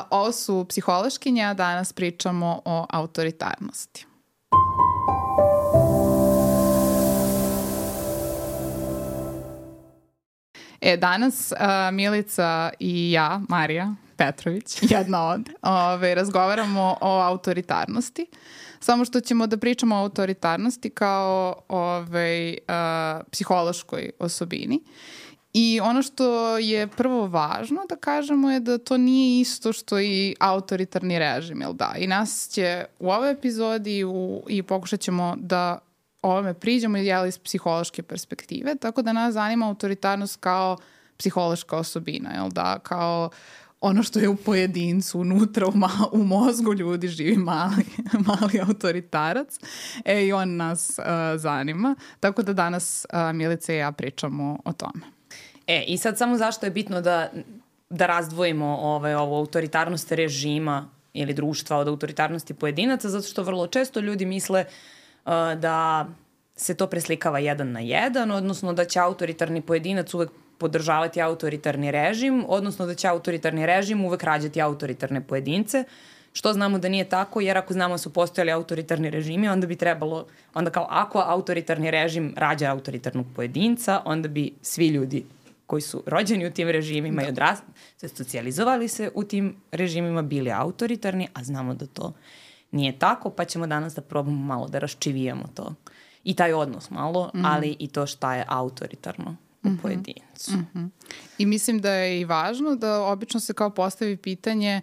Ovo su psihološkinje, a danas pričamo o autoritarnosti. Danas Milica i ja, Marija Petrović, jedna od, razgovaramo o autoritarnosti. Samo što ćemo da pričamo o autoritarnosti kao psihološkoj osobini. I ono što je prvo važno da kažemo je da to nije isto što i autoritarni režim, jel da? I nas će u ovoj epizodi i pokušat ćemo da ovome priđemo iz psihološke perspektive, tako da nas zanima autoritarnost kao psihološka osobina, jel da? Kao ono što je u pojedincu, unutra u mozgu ljudi živi mali autoritarac. I on nas zanima. Tako da danas Milica i ja pričamo o tome. I sad samo zašto je bitno da razdvojimo ovu autoritarnost režima ili društva od autoritarnosti pojedinaca, zato što vrlo često ljudi misle da se to preslikava jedan na jedan, odnosno da će autoritarni pojedinac uvek podržavati autoritarni režim, odnosno da će autoritarni režim uvek rađati autoritarne pojedince, što znamo da nije tako, jer ako znamo da su postojali autoritarni režimi, onda bi trebalo, ako autoritarni režim rađa autoritarnog pojedinca, onda bi svi ljudi koji su rođeni u tim režimima i socijalizovali se u tim režimima, bili autoritarni, a znamo da to nije tako, pa ćemo danas da probamo malo da raščivijamo to. I taj odnos malo, ali i to šta je autoritarno u pojedincu. I mislim da je i važno da obično se kao postavi pitanje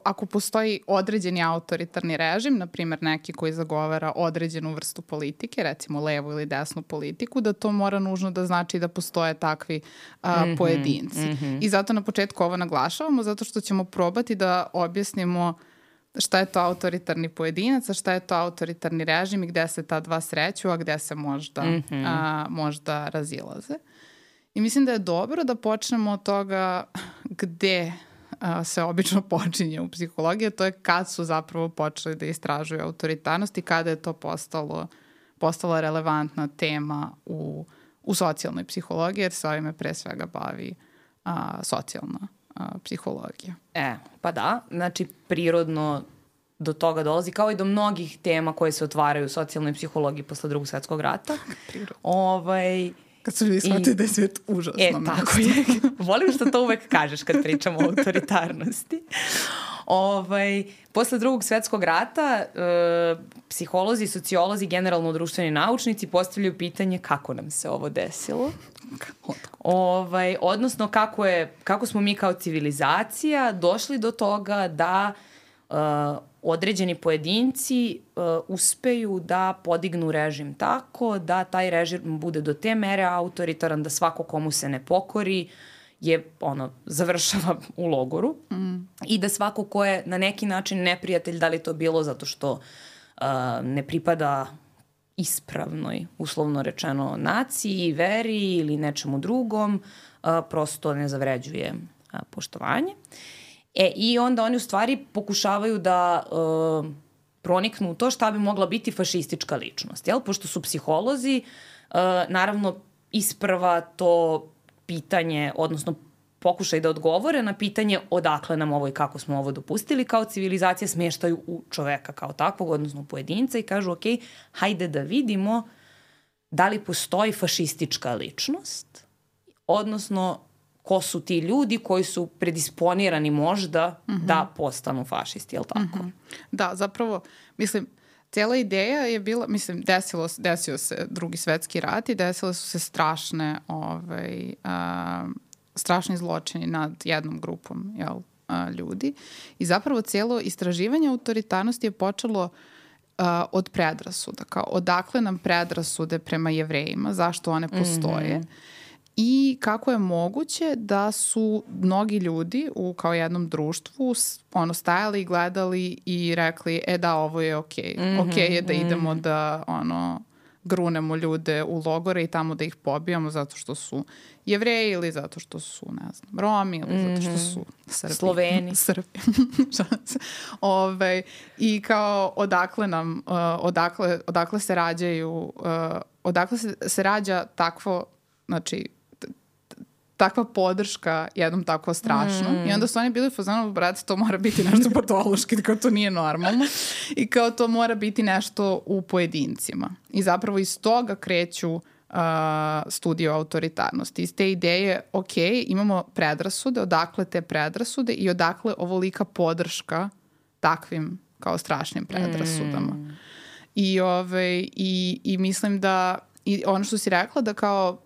ako postoji određeni autoritarni režim, na primjer neki koji zagovara određenu vrstu politike, recimo levu ili desnu politiku, da to mora nužno da znači da postoje takvi pojedinci. I zato na početku ovo naglašavamo, zato što ćemo probati da objasnimo šta je to autoritarni pojedinac, a šta je to autoritarni režim i gde se ta dva sreću, a gde se možda razilaze. I mislim da je dobro da počnemo od toga gde se obično počinje u psihologiji, to je kad su zapravo počeli da istražuju autoritarnost i kada je to postala relevantna tema u socijalnoj psihologiji, jer se ovime pre svega bavi socijalna psihologija. Pa da, znači prirodno do toga dolazi, kao i do mnogih tema koje se otvaraju u socijalnoj psihologiji posle Drugog svjetskog rata. Kad su ljudi shvatili da je svijet užasno mesto. Tako je. Volim što to uvek kažeš kad pričamo o autoritarnosti. Posle Drugog svjetskog rata psiholozi, sociolozi, generalno društveni naučnici postavljaju pitanje kako nam se ovo desilo. Odnosno kako smo mi kao civilizacija došli do toga da određeni pojedinci uspeju da podignu režim tako da taj režim bude do te mere autoritaran da svako komu se ne pokori završava u logoru i da svako ko je na neki način neprijatelj, da li to bilo zato što ne pripada ispravnoj, uslovno rečeno, naciji, veri ili nečemu drugom, prosto ne zavređuje poštovanje. I onda oni u stvari pokušavaju da proniknu u to šta bi mogla biti fašistička ličnost. Pošto su psiholozi, naravno isprva to pitanje, odnosno pokušaj da odgovore na pitanje odakle nam ovo i kako smo ovo dopustili, kao civilizacija smeštaju u čoveka kao takvog, odnosno pojedinca i kažu hajde da vidimo da li postoji fašistička ličnost, odnosno ko su ti ljudi koji su predisponirani možda da postanu fašisti, jel tako? Da, zapravo, mislim, cijela ideja je bila, mislim, desio se Drugi svjetski rat i desile su se strašni zločini nad jednom grupom ljudi. I zapravo cijelo istraživanje autoritarnosti je počelo od predrasuda. Kao odakle nam predrasude prema Jevrejima, zašto one postoje. I kako je moguće da su mnogi ljudi u kao jednom društvu stajali i gledali i rekli da, ovo je okej. Okej je da idemo da grunemo ljude u logore i tamo da ih pobijamo zato što su Jevreji ili zato što su, ne znam, Romi ili zato što su Srbi. Sloveni. Srbi. I kao odakle se rađaju, odakle se rađa takvo, znači, takva podrška jednom tako strašno. I onda su oni bili fazonu, brate, to mora biti nešto patološki, kao to nije normalno. I kao to mora biti nešto u pojedincima. I zapravo iz toga kreću studije o autoritarnosti. Iz te ideje, ok, imamo predrasude, odakle te predrasude i odakle ovolika podrška takvim kao strašnim predrasudama. I mislim da i ono što si rekla da kao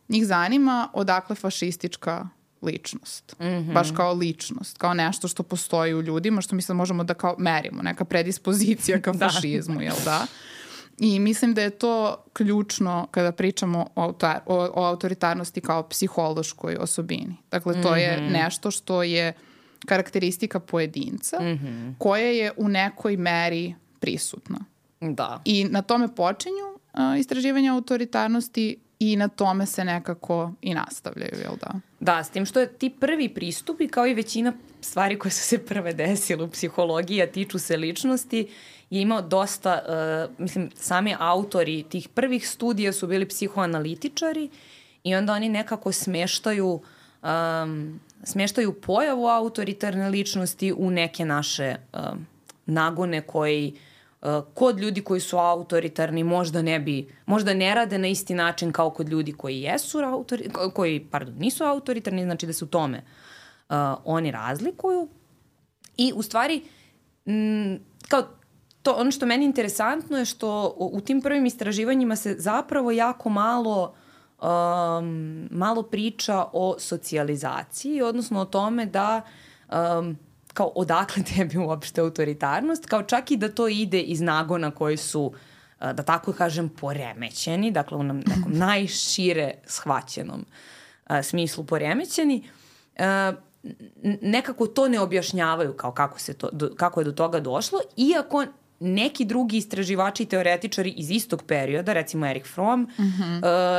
njih zanima odakle fašistička ličnost. Baš kao ličnost. Kao nešto što postoji u ljudima, što mislim možemo da kao merimo. Neka predispozicija ka fašizmu, jel da? I mislim da je to ključno kada pričamo o autoritarnosti kao psihološkoj osobini. Dakle, to je nešto što je karakteristika pojedinca koja je u nekoj meri prisutna. Da. I na tome počinju istraživanja autoritarnosti i na tome se nekako i nastavljaju, jel da? Da, s tim što je ti prvi pristupi, kao i većina stvari koje su se prve desile u psihologiji, a tiču se ličnosti, je imao dosta, sami autori tih prvih studija su bili psihoanalitičari i onda oni nekako smeštaju pojavu autoritarne ličnosti u neke naše nagone koji kod ljudi koji su autoritarni možda ne rade na isti način kao kod ljudi koji nisu autoritarni, znači da se u tome oni razlikuju. I u stvari kao ono što meni interesantno je što u tim prvim istraživanjima se zapravo jako malo priča o socijalizaciji, odnosno o tome da kao odakle tebi uopšte autoritarnost, kao čak i da to ide iz nagona koji su, da tako kažem, poremećeni, dakle u nekom najšire shvaćenom smislu poremećeni, nekako to ne objašnjavaju kao kako je do toga došlo, iako neki drugi istraživači i teoretičari iz istog perioda, recimo Erich Fromm,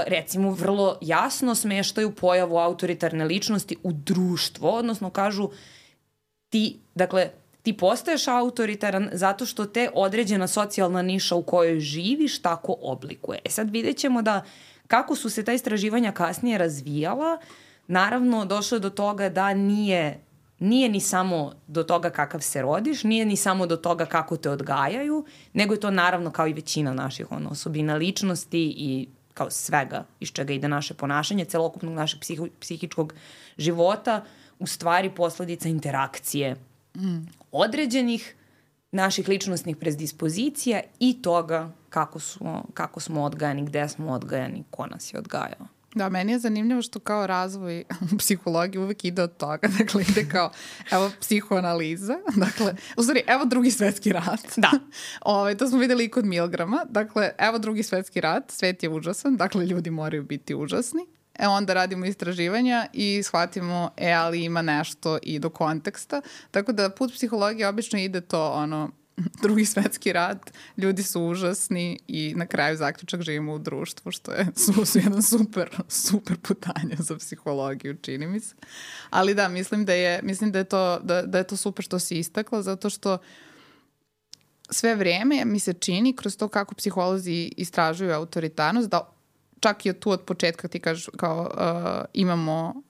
recimo vrlo jasno smeštaju pojavu autoritarne ličnosti u društvo, odnosno kažu ti postaješ autoritaran zato što te određena socijalna niša u kojoj živiš tako oblikuje. Sad vidjet ćemo da kako su se ta istraživanja kasnije razvijala, naravno došlo je do toga da nije ni samo do toga kakav se rodiš, nije ni samo do toga kako te odgajaju, nego je to naravno kao i većina naših osobina ličnosti i kao svega iz čega ide naše ponašanje, celokupnog našeg psihičkog života, u stvari posledica interakcije određenih naših ličnostnih predispozicija i toga kako smo odgajani, gde smo odgajani, ko nas je odgajao. Da, meni je zanimljivo što kao razvoj psihologije uvek ide od toga. Dakle, ide kao, evo, psihoanaliza. Dakle, u stvari, evo Drugi svetski rat. Da. To smo videli i kod Milgrama. Dakle, evo Drugi svetski rat, svet je užasan, dakle, ljudi moraju biti užasni. Onda radimo istraživanja i shvatimo, ali ima nešto i do konteksta. Tako da put psihologije obično ide to, Drugi svetski rat, ljudi su užasni i na kraju zaključak živimo u društvu, što je jedan super putanje za psihologiju, čini mi se. Ali da, mislim da je to super što si istakla, zato što sve vreme mi se čini kroz to kako psiholozi istražuju autoritarnost, da čak i tu od početka ti kažeš kao imamo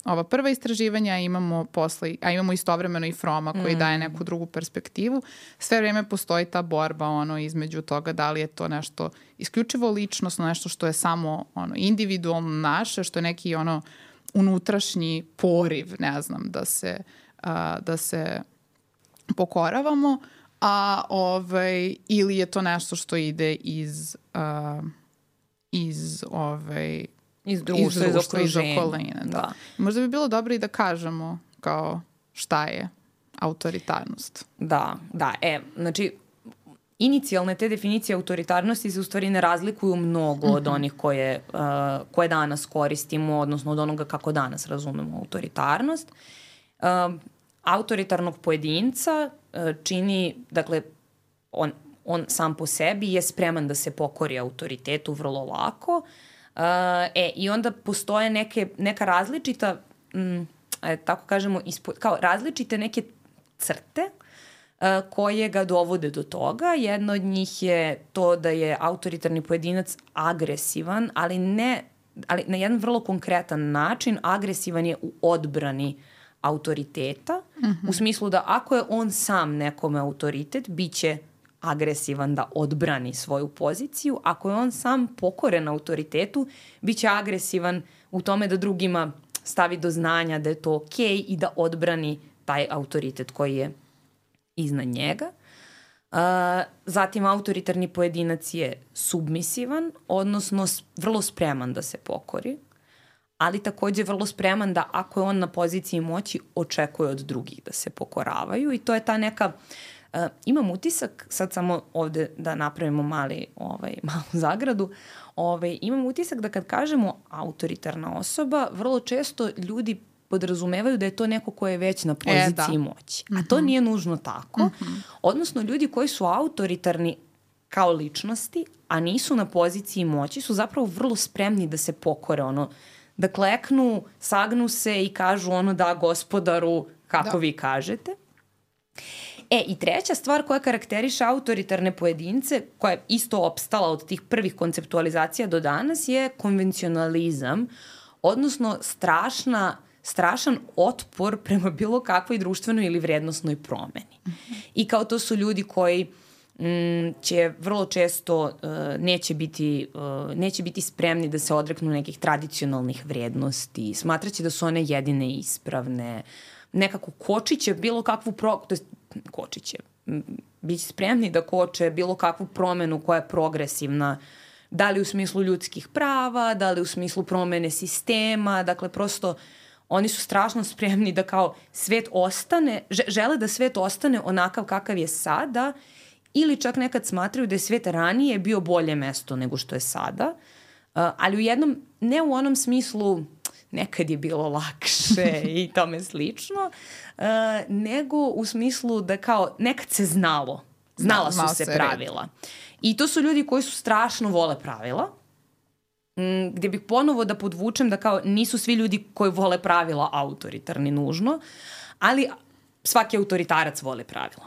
ova prva istraživanja, imamo istovremeno i Froma koji daje neku drugu perspektivu. Sve vreme postoji ta borba između toga da li je to nešto isključivo ličnosno, nešto što je samo individualno naše, što je neki unutrašnji poriv, ne znam, da se pokoravamo, ili je to nešto što ide iz društva, iz okoline. Da. Možda bi bilo dobro i da kažemo kao šta je autoritarnost. Da. Znači, inicijalne te definicije autoritarnosti se u stvari ne razlikuju mnogo od onih koje danas koristimo, odnosno od onoga kako danas razumemo autoritarnost. Autoritarnog pojedinca čini, dakle, on sam po sebi je spreman da se pokori autoritetu vrlo lako. I onda postoje neka različita, tako kažemo, kao različite neke crte koje ga dovode do toga. Jedna od njih je to da je autoritarni pojedinac agresivan, ali ali na jedan vrlo konkretan način, agresivan je u odbrani autoriteta, u smislu da ako je on sam nekome autoritet, bit će agresivan da odbrani svoju poziciju. Ako je on sam pokoren autoritetu, bit će agresivan u tome da drugima stavi do znanja da je to okej i da odbrani taj autoritet koji je iznad njega. Zatim, autoritarni pojedinac je submisivan, odnosno vrlo spreman da se pokori, ali takođe vrlo spreman da ako je on na poziciji moći, očekuje od drugih da se pokoravaju i to je ta neka... imam utisak, sad samo ovde da napravimo malu zagradu, imam utisak da kad kažemo autoritarna osoba, vrlo često ljudi podrazumevaju da je to neko ko je već na poziciji moći. A to nije nužno tako. Odnosno, ljudi koji su autoritarni kao ličnosti, a nisu na poziciji moći, su zapravo vrlo spremni da se pokore, da kleknu, sagnu se i kažu da gospodaru, kako vi kažete. I treća stvar koja karakteriše autoritarne pojedince, koja je isto opstala od tih prvih konceptualizacija do danas, je konvencionalizam, odnosno strašan otpor prema bilo kakvoj društvenoj ili vrednosnoj promeni. I kao to su ljudi koji će vrlo često neće biti spremni da se odreknu nekih tradicionalnih vrednosti, smatraće da su one jedine ispravne, nekako kočiće bilo kakvu kočiće, biće spremni da koče bilo kakvu promenu koja je progresivna, da li u smislu ljudskih prava, da li u smislu promene sistema, dakle prosto oni su strašno spremni da kao svet ostane, žele da svet ostane onakav kakav je sada ili čak nekad smatraju da je svet ranije bio bolje mesto nego što je sada, ali u jednom, ne u onom smislu nekad je bilo lakše i tome slično, nego u smislu da kao nekad se znala su se pravila. I to su ljudi koji su strašno vole pravila, gdje bih ponovo da podvučem da kao nisu svi ljudi koji vole pravila autoritarni nužno, ali svaki autoritarac vole pravila.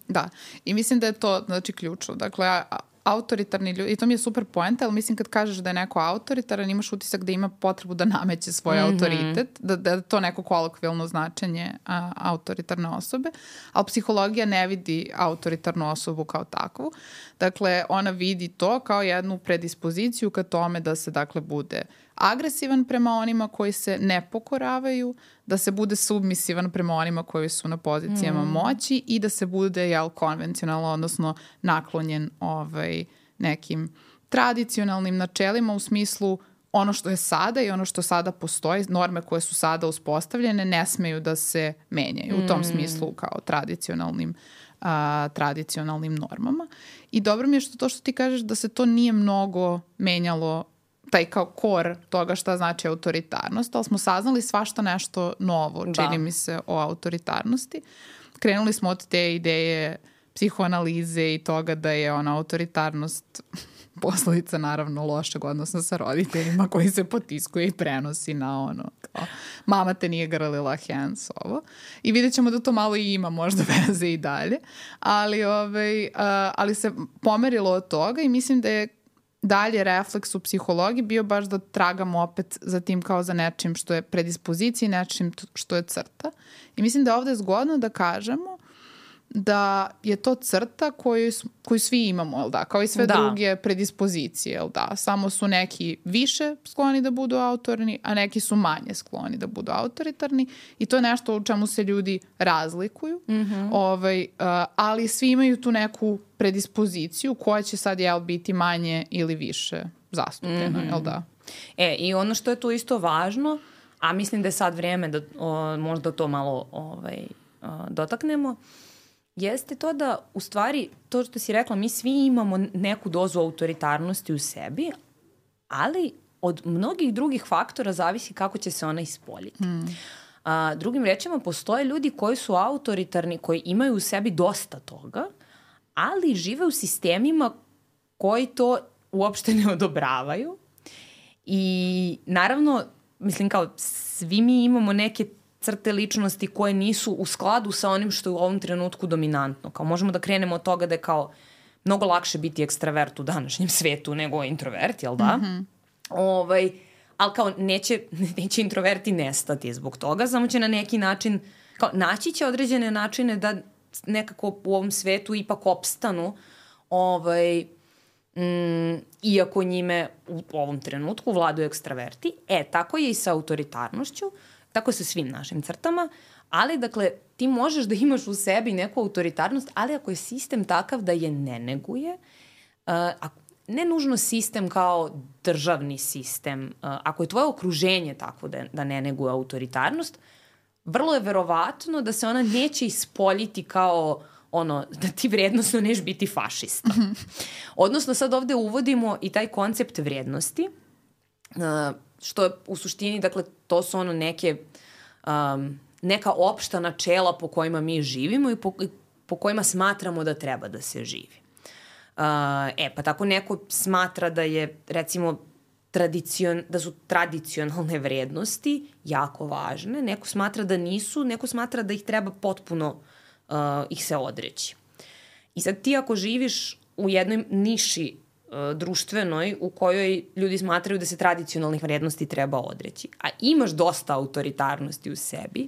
Da, i mislim da je to ključno. Dakle, autoritarni ljudi, i to mi je super poenta, ali mislim kad kažeš da je neko autoritaran, imaš utisak da ima potrebu da nameće svoj autoritet, da je to neko kolokvijalno značenje autoritarne osobe, ali psihologija ne vidi autoritarnu osobu kao takvu. Dakle, ona vidi to kao jednu predispoziciju ka tome da se, dakle, bude agresivan prema onima koji se ne pokoravaju, da se bude submisivan prema onima koji su na pozicijama moći i da se bude, konvencionalno, odnosno naklonjen nekim tradicionalnim načelima u smislu ono što je sada i ono što sada postoji, norme koje su sada uspostavljene ne smeju da se menjaju u tom smislu kao tradicionalnim normama. I dobro mi je što ti kažeš da se to nije mnogo menjalo, taj kao kor toga šta znači autoritarnost, ali smo saznali svašta nešto novo, čini mi se, o autoritarnosti. Krenuli smo od te ideje psihoanalize i toga da je autoritarnost posledica naravno lošeg odnosa sa roditeljima koji se potiskuje i prenosi na kao, mama te nije grlila, hens ovo. I vidjet ćemo da to malo i ima možda veze i dalje, ali se pomerilo od toga i mislim da je dalje refleks u psihologiji bio baš da tragamo opet za tim kao za nečim što je predispozicija i nečim što je crta. I mislim da je ovde zgodno da kažemo da je to crta koju svi imamo, jel da? Kao i sve druge predispozicije, jel da? Samo su neki više skloni da budu autorni, a neki su manje skloni da budu autoritarni i to je nešto u čemu se ljudi razlikuju, ali svi imaju tu neku predispoziciju koja će sad, biti manje ili više zastupljena, jel da? I ono što je tu isto važno, a mislim da je sad vrijeme da možda to malo dotaknemo, jeste to da, u stvari, to što si rekla, mi svi imamo neku dozu autoritarnosti u sebi, ali od mnogih drugih faktora zavisi kako će se ona ispoljiti. Drugim rečima, postoje ljudi koji su autoritarni, koji imaju u sebi dosta toga, ali žive u sistemima koji to uopšte ne odobravaju. I naravno, mislim kao, svi mi imamo neke crte ličnosti koje nisu u skladu sa onim što je u ovom trenutku dominantno. Kao možemo da krenemo od toga da je kao mnogo lakše biti ekstravert u današnjem svetu nego introvert, jel da? ali kao neće introverti nestati zbog toga, samo će na neki način, kao naći će određene načine da nekako u ovom svetu ipak opstanu, iako njime u ovom trenutku vladaju ekstraverti. Tako je i sa autoritarnošću, tako je sa svim našim crtama, ali dakle ti možeš da imaš u sebi neku autoritarnost, ali ako je sistem takav da je ne neguje, ne nužno sistem kao državni sistem, ako je tvoje okruženje takvo da ne neguje autoritarnost, vrlo je verovatno da se ona neće ispoljiti kao da ti vrednostno neš biti fašista. Odnosno sad ovde uvodimo i taj koncept vrednosti, što je u suštini, dakle, to su neka opšta načela po kojima mi živimo i po kojima smatramo da treba da se živi. Pa tako neko smatra da je, recimo, da su tradicionalne vrednosti jako važne, neko smatra da nisu, neko smatra da ih treba potpuno ih se odreći. I sad ti ako živiš u jednoj niši društvenoj u kojoj ljudi smatraju da se tradicionalnih vrednosti treba odreći, a imaš dosta autoritarnosti u sebi,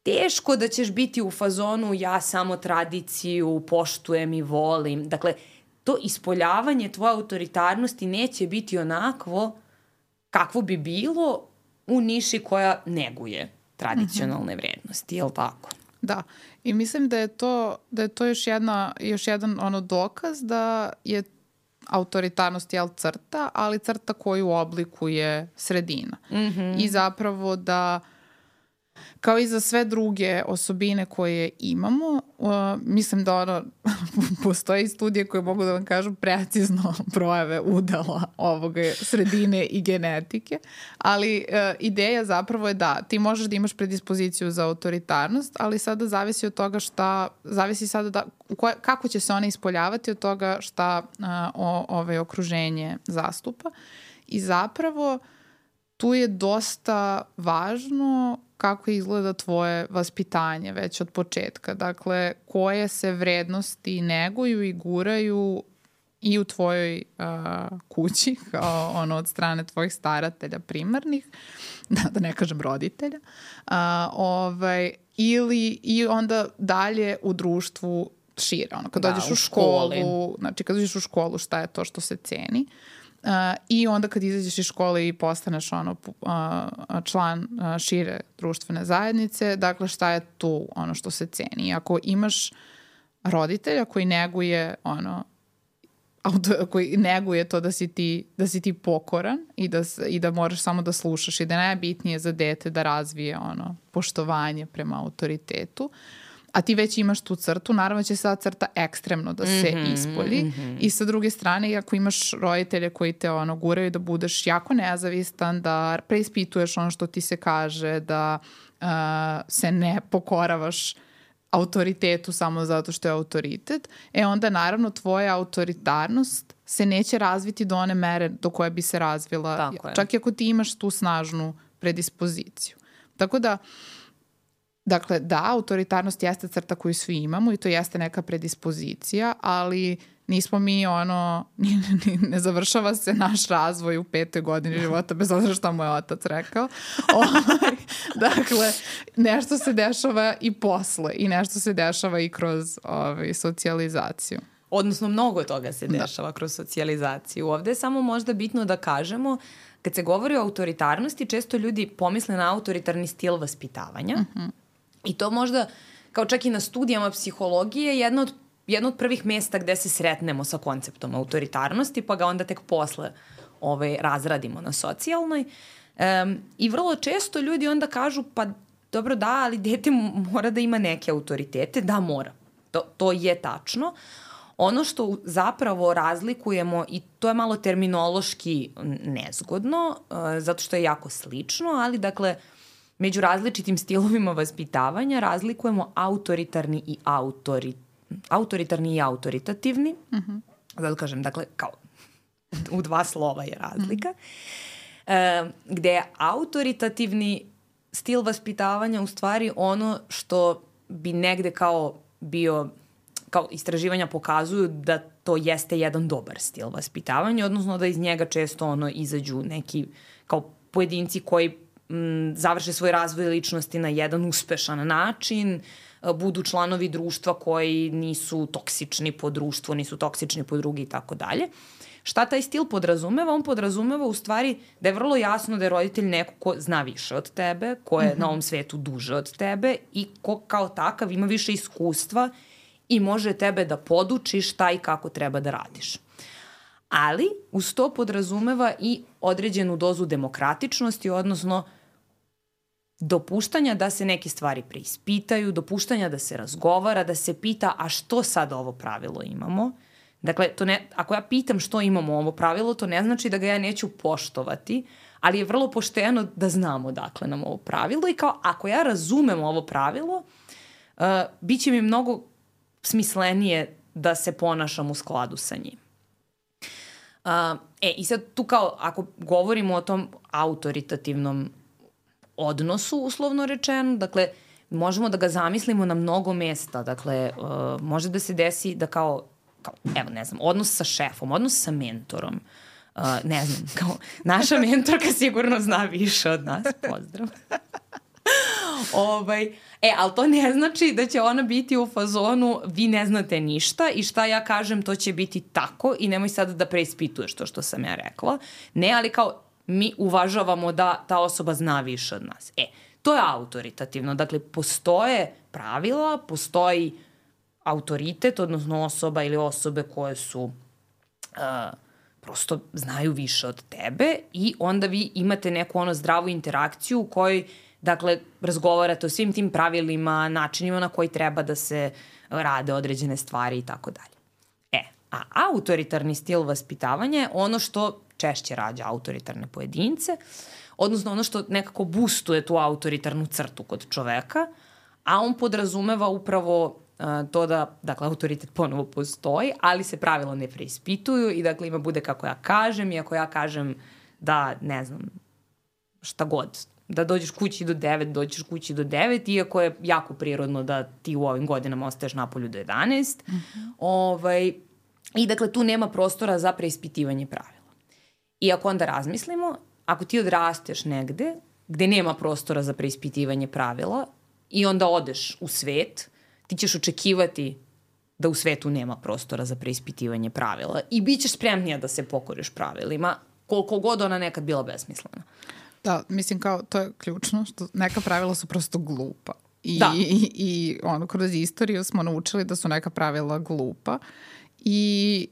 teško da ćeš biti u fazonu ja samo tradiciju poštujem i volim. Dakle, to ispoljavanje tvoje autoritarnosti neće biti onakvo kakvo bi bilo u niši koja neguje tradicionalne vrednosti, je li tako? Da, i mislim da je to još jedan dokaz da je autoritarnost crta, ali crta koju oblikuje sredina. I zapravo da kao i za sve druge osobine koje imamo, mislim da postoji studije koje mogu da vam kažu precizno brojeve udela ovoga sredine i genetike, ali ideja zapravo je da ti možeš da imaš predispoziciju za autoritarnost, ali sada zavisi od toga kako će se ona ispoljavati od toga šta okruženje zastupa. I zapravo tu je dosta važno kako izgleda tvoje vaspitanje već od početka. Dakle, koje se vrednosti neguju i guraju i u tvojoj kući, kao od strane tvojih staratelja primarnih, da ne kažem roditelja, i onda dalje u društvu šire. Kad dođeš u školu, znači kad dođeš u školu šta je to što se ceni, i onda kad izađeš iz škole i postaneš član šire društvene zajednice, dakle šta je tu ono što se ceni. I ako imaš roditelja koji neguje to da si ti pokoran i da moraš samo da slušaš i da je najbitnije za dete da razvije poštovanje prema autoritetu, a ti već imaš tu crtu, naravno će sada crta ekstremno da se ispolji. I sa druge strane, ako imaš roditelje koji te guraju da budeš jako nezavistan, da preispituješ ono što ti se kaže, da se ne pokoravaš autoritetu samo zato što je autoritet, onda naravno tvoja autoritarnost se neće razviti do one mere do koje bi se razvila, čak i ako ti imaš tu snažnu predispoziciju. Tako da, dakle, da, autoritarnost jeste crta koju svi imamo i to jeste neka predispozicija, ali nismo mi ne završava se naš razvoj u 5. godini života, bez obzira šta mu je otac rekao. Dakle, nešto se dešava i posle i nešto se dešava i kroz socijalizaciju. Odnosno, mnogo toga se dešava kroz socijalizaciju. Ovde je samo možda bitno da kažemo, kad se govori o autoritarnosti, često ljudi pomisle na autoritarni stil vaspitavanja. I to možda, kao čak i na studijama psihologije, jedno od prvih mesta gde se sretnemo sa konceptom autoritarnosti, pa ga onda tek posle razradimo na socijalnoj. I vrlo često ljudi onda kažu, pa dobro da, ali dete mora da ima neke autoritete. Da, mora. To je tačno. Ono što zapravo razlikujemo, i to je malo terminološki nezgodno, zato što je jako slično, ali dakle, među različitim stilovima vaspitavanja razlikujemo autoritarni i autoritativni. Zato kažem, dakle, kao u 2 slova je razlika. Gde je autoritativni stil vaspitavanja u stvari ono što bi negde kao bio kao istraživanja pokazuju da to jeste jedan dobar stil vaspitavanja, odnosno da iz njega često izađu neki kao pojedinci koji završe svoj razvoj ličnosti na jedan uspešan način, budu članovi društva koji nisu toksični po društvu, nisu toksični po drugi i tako dalje. Šta taj stil podrazumeva? On podrazumeva u stvari da je vrlo jasno da je roditelj neko ko zna više od tebe, ko je na ovom svetu duže od tebe i ko kao takav ima više iskustva i može tebe da poduči šta i kako treba da radiš. Ali uz to podrazumeva i određenu dozu demokratičnosti, odnosno dopuštanja da se neke stvari preispitaju, dopuštanja da se razgovara, da se pita a što sad ovo pravilo imamo. Dakle, ako ja pitam što imamo ovo pravilo, to ne znači da ga ja neću poštovati, ali je vrlo pošteno da znamo dakle nam ovo pravilo i kao ako ja razumem ovo pravilo, bit će mi mnogo smislenije da se ponašam u skladu sa njim. I sad tu kao ako govorimo o tom autoritativnom odnosu, uslovno rečeno, dakle, možemo da ga zamislimo na mnogo mesta. Dakle, može da se desi da evo, ne znam, odnos sa šefom, odnos sa mentorom, ne znam, kao naša mentorka sigurno zna više od nas, pozdrav. Ali to ne znači da će ona biti u fazonu vi ne znate ništa i šta ja kažem to će biti tako i nemoj sad da preispituješ to što sam ja rekla. Ne, ali kao mi uvažavamo da ta osoba zna više od nas. To je autoritativno. Dakle, postoje pravila, postoji autoritet, odnosno osoba ili osobe koje su prosto znaju više od tebe i onda vi imate neku zdravu interakciju u kojoj, dakle, razgovarate o svim tim pravilima, načinima na koji treba da se rade određene stvari i tako dalje. A autoritarni stil vaspitavanja je ono što češće rađa autoritarne pojedince, odnosno ono što nekako boostuje tu autoritarnu crtu kod čoveka, a on podrazumeva upravo to da, dakle, autoritet ponovo postoji, ali se pravila ne preispituju i, dakle, ima bude kako ja kažem i ako ja kažem da, ne znam, šta god, da dođeš kući do 9, dođeš kući do 9, iako je jako prirodno da ti u ovim godinama ostaješ napolju do 11. I, dakle, tu nema prostora za preispitivanje pravila. I ako onda razmislimo, ako ti odrasteš negde gde nema prostora za preispitivanje pravila i onda odeš u svet, ti ćeš očekivati da u svetu nema prostora za preispitivanje pravila i bit ćeš spremnija da se pokoriš pravilima, koliko god ona nekad bila besmislena. Da, mislim kao to je ključno, što neka pravila su prosto glupa. I kroz istoriju smo naučili da su neka pravila glupa i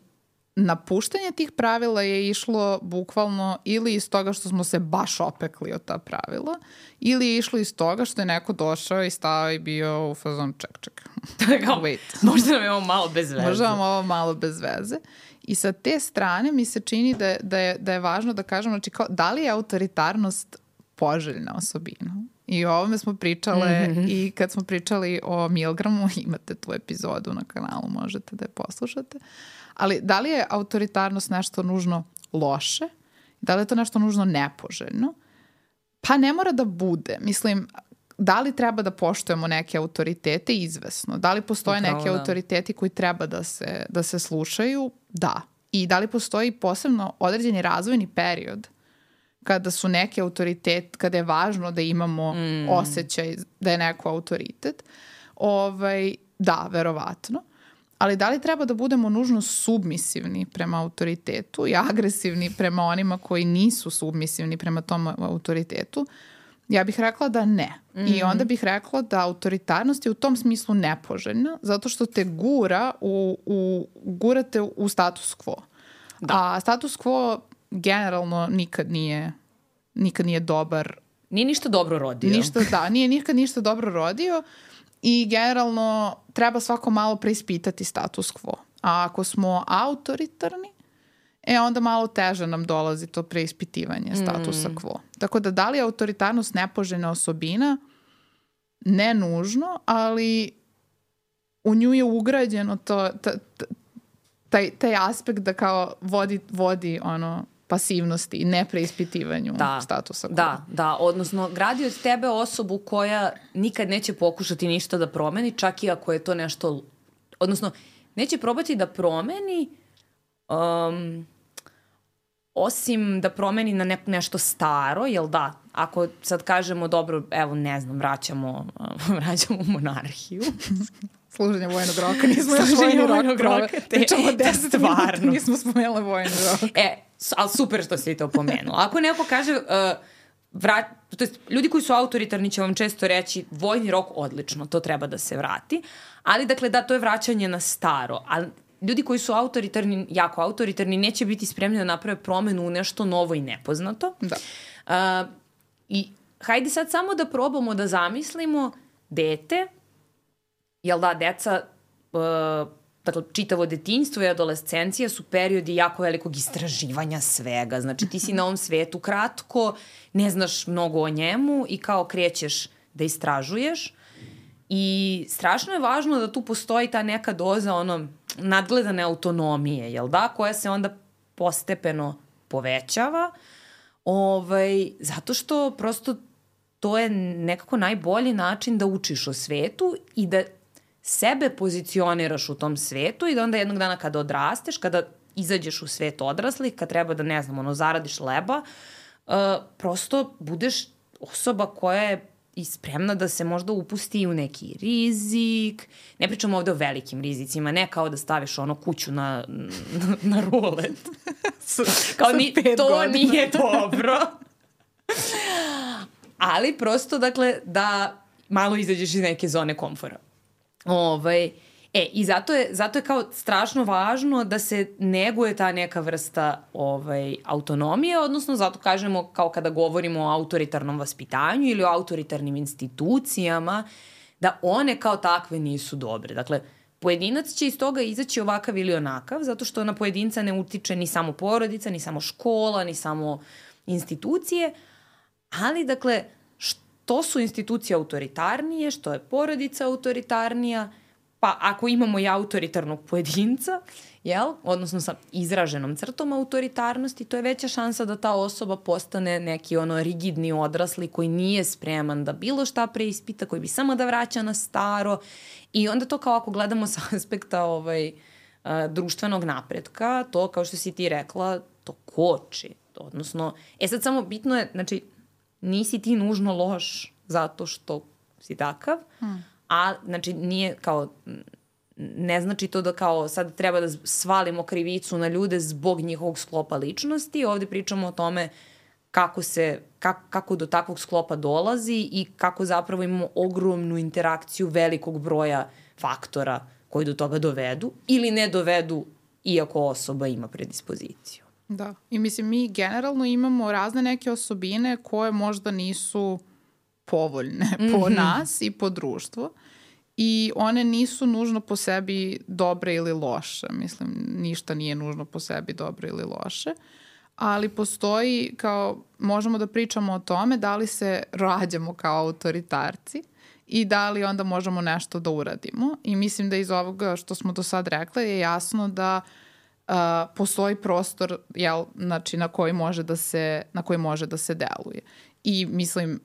napuštanje tih pravila je išlo bukvalno ili iz toga što smo se baš opekli od ta pravila ili je išlo iz toga što je neko došao i stao i bio u fazon ček. Wait. Možda nam je ovo malo bez veze. Možda nam ovo malo bez veze. I sa te strane mi se čini da je važno da kažemo, znači kao, da li je autoritarnost poželjna osobina? I o ovome smo pričale i kad smo pričali o Milgramu, imate tu epizodu na kanalu, možete da je poslušate. Ali da li je autoritarnost nešto nužno loše? Da li je to nešto nužno nepoželjno? Pa ne mora da bude. Mislim, da li treba da poštujemo neke autoritete? Izvesno. Da li postoje neki autoriteti koji treba da se slušaju? Da. I da li postoji posebno određeni razvojni period kada su neki autoritet, kada je važno da imamo osjećaj da je neko autoritet? Da, verovatno. Ali da li treba da budemo nužno submisivni prema autoritetu i agresivni prema onima koji nisu submisivni prema tom autoritetu? Ja bih rekla da ne. I onda bih rekla da autoritarnost je u tom smislu nepoželjna, zato što te gurate u status quo. Da. A status quo generalno nikad nije dobar. Nije ništa dobro rodio. Nije nikad ništa dobro rodio i generalno treba svako malo preispitati status quo. A ako smo autoritarni, onda malo teže nam dolazi to preispitivanje statusa quo. Tako da li je autoritarnost nepoželjna osobina? Ne nužno, ali u nju je ugrađeno taj aspekt da kao vodi pasivnosti i nepreispitivanju statusa quo. Da, odnosno gradi od tebe osobu koja nikad neće pokušati ništa da promeni, čak i ako je to nešto odnosno neće probati da promeni osim da promeni na nešto staro, jel da? Ako sad kažemo, dobro, evo, ne znam, vraćamo monarhiju. Služenje vojnog roka, nismo još vojnog roka. Pričamo 10 minuta, nismo spomenuli vojnog roka. Ali super što si to pomenuo. Ako neko kaže, to jest, ljudi koji su autoritarni će vam često reći vojni rok odlično, to treba da se vrati, ali dakle da, to je vraćanje na staro, ali ljudi koji su autoritarni, jako autoritarni, neće biti spremni da naprave promenu u nešto novo i nepoznato. Da. I hajde sad samo da probamo da zamislimo dete, jel da, deca, dakle, čitavo detinjstvo i adolescencija su periodi jako velikog istraživanja svega. Znači, ti si na ovom svetu kratko, ne znaš mnogo o njemu i kao krećeš da istražuješ. I strašno je važno da tu postoji ta neka doza nadgledane autonomije, jel da, koja se onda postepeno povećava, zato što prosto to je nekako najbolji način da učiš o svetu i da sebe pozicioniraš u tom svetu i da onda jednog dana kada odrasteš, kada izađeš u svet odraslih, kad treba da, ne znam, zaradiš leba, prosto budeš osoba koja je i spremna da se možda upusti u neki rizik. Ne pričamo ovde o velikim rizicima, ne kao da staviš kuću na rulet. Kao to nije dobro. Ali prosto, dakle, da malo izađeš iz neke zone komfora. I zato je kao strašno važno da se neguje ta neka vrsta autonomije, odnosno zato kažemo kao kada govorimo o autoritarnom vaspitanju ili o autoritarnim institucijama, da one kao takve nisu dobre. Dakle, pojedinac će iz toga izaći ovakav ili onakav, zato što na pojedinca ne utiče ni samo porodica, ni samo škola, ni samo institucije, ali dakle, što su institucije autoritarnije, što je porodica autoritarnija, pa ako imamo i autoritarnog pojedinca, odnosno sa izraženom crtom autoritarnosti, to je veća šansa da ta osoba postane neki rigidni odrasli koji nije spreman da bilo šta preispita, koji bi samo da vraća na staro. I onda to kao ako gledamo sa aspekta društvenog napretka, to kao što si ti rekla, to koči. Odnosno, sad samo bitno je, znači, nisi ti nužno loš zato što si takav, a znači nije kao, ne znači to da kao sad treba da svalimo krivicu na ljude zbog njihovog sklopa ličnosti. Ovde pričamo o tome kako do takvog sklopa dolazi i kako zapravo imamo ogromnu interakciju velikog broja faktora koji do toga dovedu ili ne dovedu iako osoba ima predispoziciju. Da, i mislim mi generalno imamo razne neke osobine koje možda nisu povoljne po nas i po društvu i one nisu nužno po sebi dobre ili loše. Mislim, ništa nije nužno po sebi dobro ili loše, ali postoji kao, možemo da pričamo o tome da li se rađamo kao autoritarci i da li onda možemo nešto da uradimo. I mislim da iz ovoga što smo do sad rekla je jasno da postoji prostor znači, na koji može da se deluje. I mislim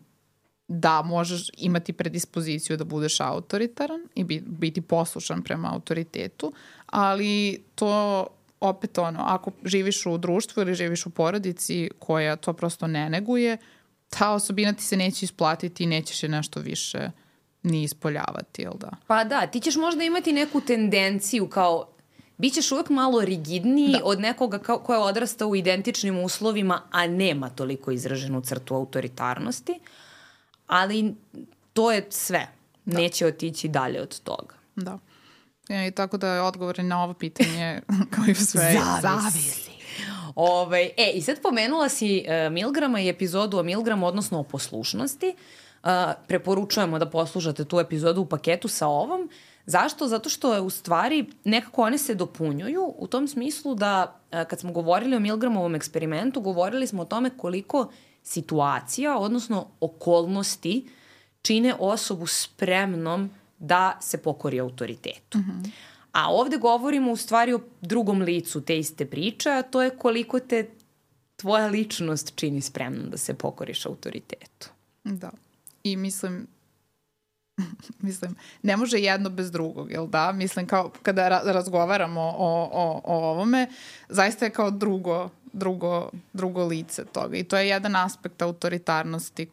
da možeš imati predispoziciju da budeš autoritaran i biti poslušan prema autoritetu, ali to opet ako živiš u društvu ili živiš u porodici koja to prosto ne neguje, ta osobina ti se neće isplatiti i nećeš je nešto više ni ispoljavati, jel da? Pa da, ti ćeš možda imati neku tendenciju kao bićeš uvek malo rigidniji od nekoga ko je odrastao u identičnim uslovima, a nema toliko izraženu crtu autoritarnosti, ali to je sve. Da. Neće otići dalje od toga. Da. I tako da je odgovor na ovo pitanje kao i sve. Zavisi. I sad pomenula si Milgrama i epizodu o Milgramu, odnosno o poslušnosti. Preporučujemo da poslušate tu epizodu u paketu sa ovom. Zašto? Zato što je u stvari nekako one se dopunjuju u tom smislu da kad smo govorili o Milgramovom eksperimentu, govorili smo o tome koliko situacija, odnosno okolnosti čine osobu spremnom da se pokori autoritetu. A ovde govorimo u stvari o drugom licu te iste priče, a to je koliko te tvoja ličnost čini spremnom da se pokoriš autoritetu. Da. I mislim Mislim, ne može jedno bez drugog, jel da? Mislim, kao kada razgovaramo o ovome, zaista je kao drugo lice toga. I to je jedan aspekt autoritarnosti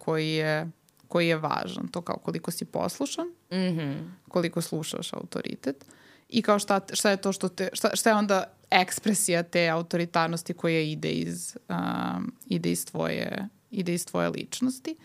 koji je važan. To kao koliko si poslušan, koliko slušaš autoritet i kao šta je to šta je onda ekspresija te autoritarnosti koja ide iz tvoje ličnosti.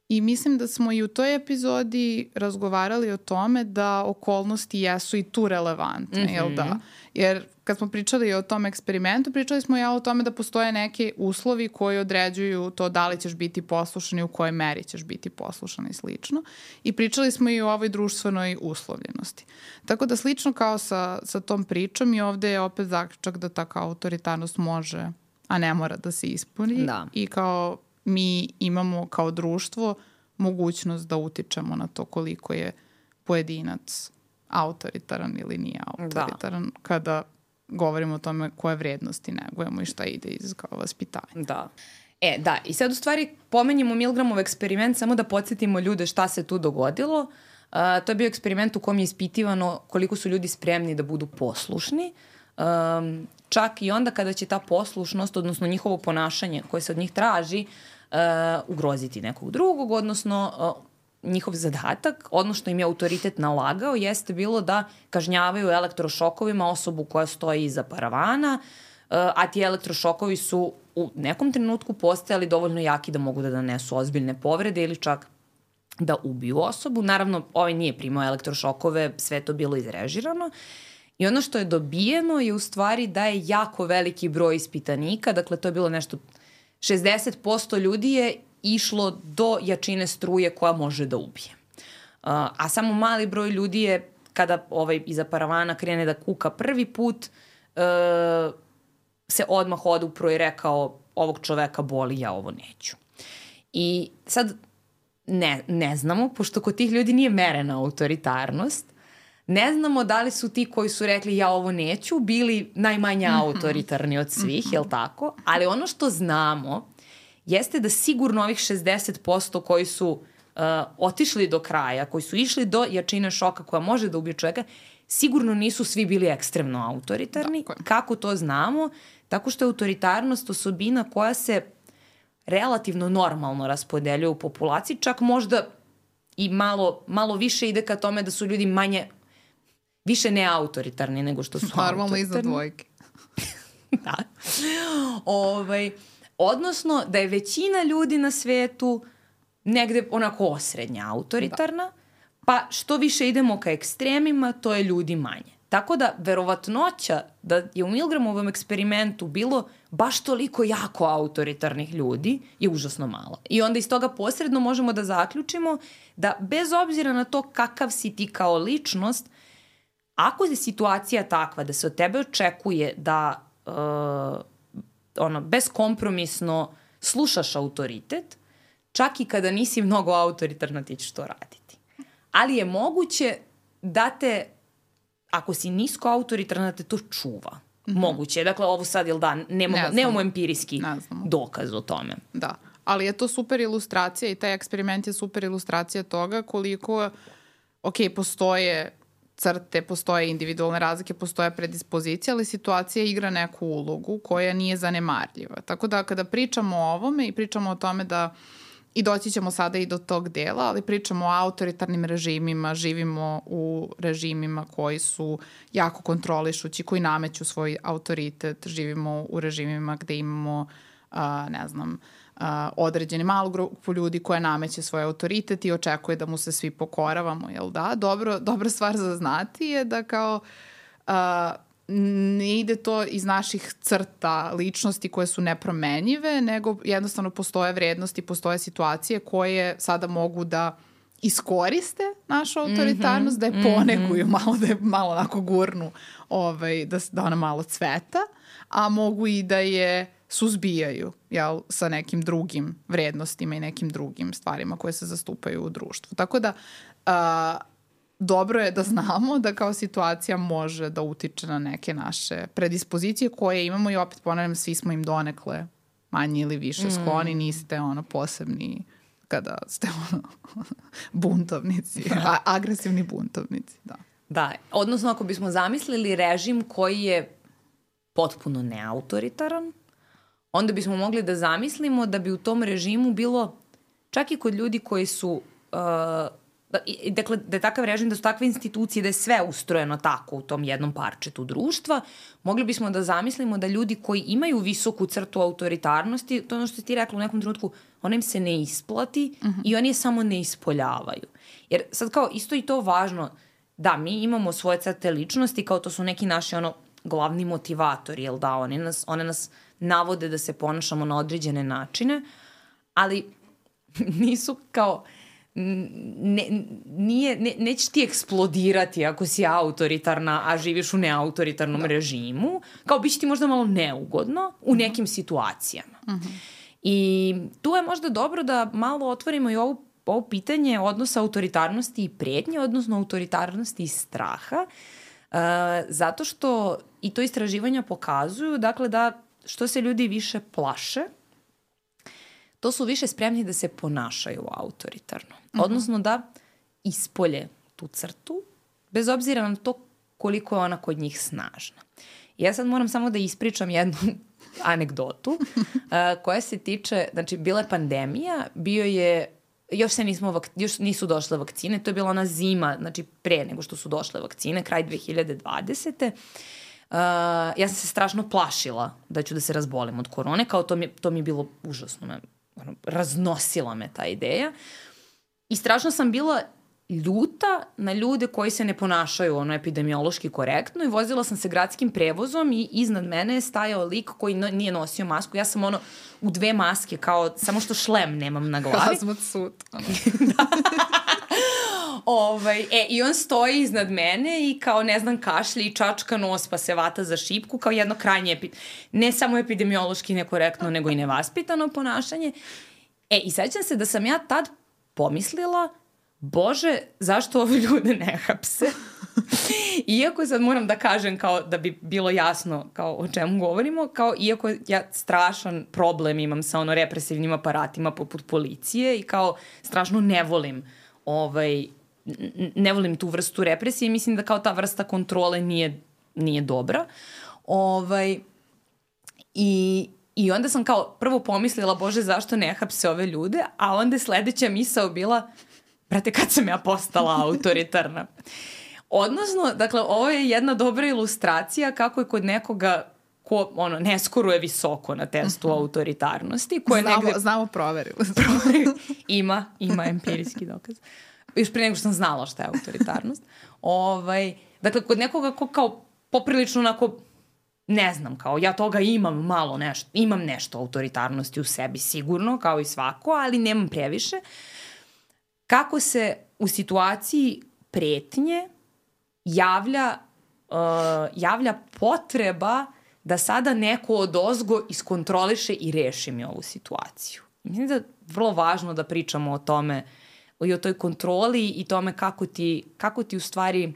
I mislim da smo i u toj epizodi razgovarali o tome da okolnosti jesu i tu relevantne, jel da? Jer kad smo pričali o tom eksperimentu, pričali smo i o tome da postoje neki uslovi koji određuju to da li ćeš biti poslušan i u kojoj meri ćeš biti poslušan i slično. I pričali smo i o ovoj društvenoj uslovljenosti. Tako da slično kao sa tom pričom i ovde je opet zaključak da ta kao autoritarnost može, a ne mora da se ispuni. Da. I kao mi imamo kao društvo mogućnost da utičemo na to koliko je pojedinac autoritaran ili nije autoritaran kada govorimo o tome koje vrednosti negujemo i šta ide iz kao vaspitanja. Da. Da, i sad u stvari pomenjemo Milgramov eksperiment samo da podsjetimo ljude šta se tu dogodilo. To je bio eksperiment u kom je ispitivano koliko su ljudi spremni da budu poslušni. Čak i onda kada će ta poslušnost, odnosno njihovo ponašanje koje se od njih traži, ugroziti nekog drugog, odnosno njihov zadatak, ono što im je autoritet nalagao, jeste bilo da kažnjavaju elektrošokovima osobu koja stoji iza paravana, a ti elektrošokovi su u nekom trenutku postajali dovoljno jaki da mogu da nanesu ozbiljne povrede ili čak da ubiju osobu. Naravno, ovaj nije primao elektrošokove, sve to bilo izrežirano. I ono što je dobijeno je u stvari da je jako veliki broj ispitanika, dakle to je bilo nešto 60% ljudi je išlo do jačine struje koja može da ubije. A samo mali broj ljudi je, kada iza paravana krene da kuka prvi put, se odmah odupro i rekao ovog čoveka boli, ja ovo neću. I sad ne znamo, pošto kod tih ljudi nije merena autoritarnost, ne znamo da li su ti koji su rekli ja ovo neću bili najmanje autoritarni od svih, jel tako? Ali ono što znamo jeste da sigurno ovih 60% koji su otišli do kraja, koji su išli do jačine šoka koja može da ubije čoveka, sigurno nisu svi bili ekstremno autoritarni. Kako to znamo? Tako što je autoritarnost osobina koja se relativno normalno raspodeljuje u populaciji, čak možda i malo više ide ka tome da su ljudi više neautoritarni nego što su autoritarni. Normalno iza dvojke. Da. Odnosno da je većina ljudi na svetu negde onako osrednja autoritarna, pa što više idemo ka ekstremima, to je ljudi manje. Tako da verovatnoća da je u Milgramovom eksperimentu bilo baš toliko jako autoritarnih ljudi je užasno mala. I onda iz toga posredno možemo da zaključimo da bez obzira na to kakav si ti kao ličnost, ako je situacija takva da se od tebe očekuje da beskompromisno slušaš autoritet, čak i kada nisi mnogo autoritarna ti ćeš to raditi. Ali je moguće da te, ako si nisko autoritarna, te to čuva. Moguće. Dakle, ovo sad, jel da, nemamo empirijski dokaz o tome. Da, ali je to super ilustracija i taj eksperiment je super ilustracija toga koliko, postoje crte, postoje individualne razlike, postoje predispozicije, ali situacija igra neku ulogu koja nije zanemarljiva. Tako da kada pričamo o ovome i pričamo o tome da, i doći ćemo sada i do tog dela, ali pričamo o autoritarnim režimima, živimo u režimima koji su jako kontrolišući, koji nameću svoj autoritet, živimo u režimima gde imamo, određeni malu grupu ljudi koja nameće svoj autoritet i očekuje da mu se svi pokoravamo, jel da? Dobra stvar za znati je da kao ne ide to iz naših crta ličnosti koje su nepromenjive, nego jednostavno postoje vrednosti, postoje situacije koje sada mogu da iskoriste našu autoritarnost, da je poneguju malo, da je malo onako gurnu, da ona malo cveta, a mogu i da je suzbijaju, jel, sa nekim drugim vrednostima i nekim drugim stvarima koje se zastupaju u društvu. Tako da dobro je da znamo da kao situacija može da utiče na neke naše predispozicije koje imamo i opet ponavljam, svi smo im donekle manje ili više skloni, niste posebni kada ste buntovnici, agresivni buntovnici, da. Da, odnosno ako bismo zamislili režim koji je potpuno neautoritaran, onda bismo mogli da zamislimo da bi u tom režimu bilo, čak i kod ljudi koji su, dakle, da je takav režim, da su takve institucije, da je sve ustrojeno tako u tom jednom parčetu društva, mogli bismo da zamislimo da ljudi koji imaju visoku crtu autoritarnosti, to je ono što ti rekla u nekom trenutku, ona im se ne isplati i oni je samo ne ispoljavaju. Jer sad kao isto i to važno, da, mi imamo svoje crte ličnosti, kao to su neki naši glavni motivatori, jel da, one nas navode da se ponašamo na određene načine, ali nisu kao, neće ti eksplodirati ako si autoritarna, a živiš u neautoritarnom režimu, kao biće ti možda malo neugodno u nekim situacijama. I tu je možda dobro da malo otvorimo i ovo pitanje odnosa autoritarnosti i pretnje, odnosno autoritarnosti i straha, zato što i to istraživanja pokazuju, dakle, da što se ljudi više plaše, to su više spremni da se ponašaju autoritarno. Odnosno da ispolje tu crtu, bez obzira na to koliko je ona kod njih snažna. Ja sad moram samo da ispričam jednu anegdotu koja se tiče, znači bila je pandemija, bio je, još nisu došle vakcine, to je bila ona zima, znači pre nego što su došle vakcine, kraj 2020. Ja sam se strašno plašila da ću da se razbolim od korone, kao to mi je bilo užasno, raznosila me ta ideja. I strašno sam bila ljuta na ljude koji se ne ponašaju epidemiološki korektno i vozila sam se gradskim prevozom i iznad mene je stajao lik koji nije nosio masku. Ja sam u 2 maske, kao samo što šlem nemam na glavi. Hazmat sut. Da. I on stoji iznad mene i kao, ne znam, kašlje i čačka nos pa se vata za šipku, kao jedno krajnje, ne samo epidemiološki nekorektno, nego i nevaspitano ponašanje. I sećam se da sam ja tad pomislila, Bože, zašto ove ljude ne hapse? Iako sad moram da kažem, kao da bi bilo jasno kao o čemu govorimo, kao iako ja strašan problem imam sa represivnim aparatima poput policije i kao strašno ne volim tu vrstu represije, mislim da kao ta vrsta kontrole nije dobra. I onda sam kao prvo pomislila, Bože, zašto ne hapse ove ljude, a onda sledeća misao bila, brate, kad sam ja postala autoritarna? Odnosno, dakle, ovo je jedna dobra ilustracija kako je kod nekoga ko ne skoruje visoko na testu autoritarnosti. Znamo, proverili. Ima empirijski dokaz. Još pre nego što sam znala šta je autoritarnost. Dakle, kod nekoga ko kao poprilično onako, ne znam, kao ja toga imam malo nešto, imam nešto autoritarnosti u sebi sigurno, kao i svako, ali nemam previše. Kako se u situaciji pretnje javlja potreba da sada neko odozgo iskontroliše i reši mi ovu situaciju. Mislim da je vrlo važno da pričamo o tome, i o toj kontroli i tome kako ti u stvari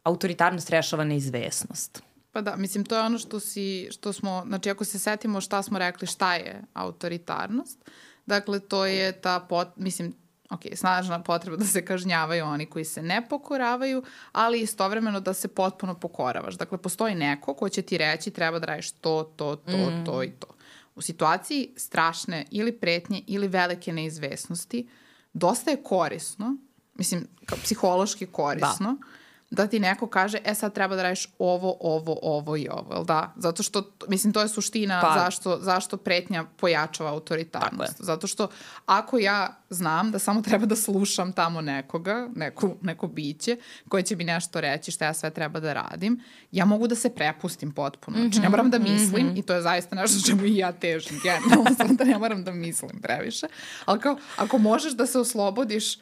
autoritarnost rešava neizvesnost. Pa da, mislim, to je ono što smo, znači ako se setimo šta smo rekli, šta je autoritarnost, dakle to je ta, snažna potreba da se kažnjavaju oni koji se ne pokoravaju, ali istovremeno da se potpuno pokoravaš. Dakle, postoji neko ko će ti reći treba da radiš to i to. U situaciji strašne ili pretnje ili velike neizvesnosti, dosta je korisno, mislim, kao psihološki korisno, da ti neko kaže, sad treba da radiš ovo i ovo, jel da? Zato što, mislim, to je suština zašto pretnja pojačava autoritarnost. Zato što ako ja znam da samo treba da slušam tamo nekoga, neko biće koje će mi nešto reći šta ja sve treba da radim, ja mogu da se prepustim potpuno. Znači, ne moram da mislim i to je zaista nešto čemu i ja težim. Generalno, da ne moram da mislim previše. Ali kao, ako možeš da se oslobodiš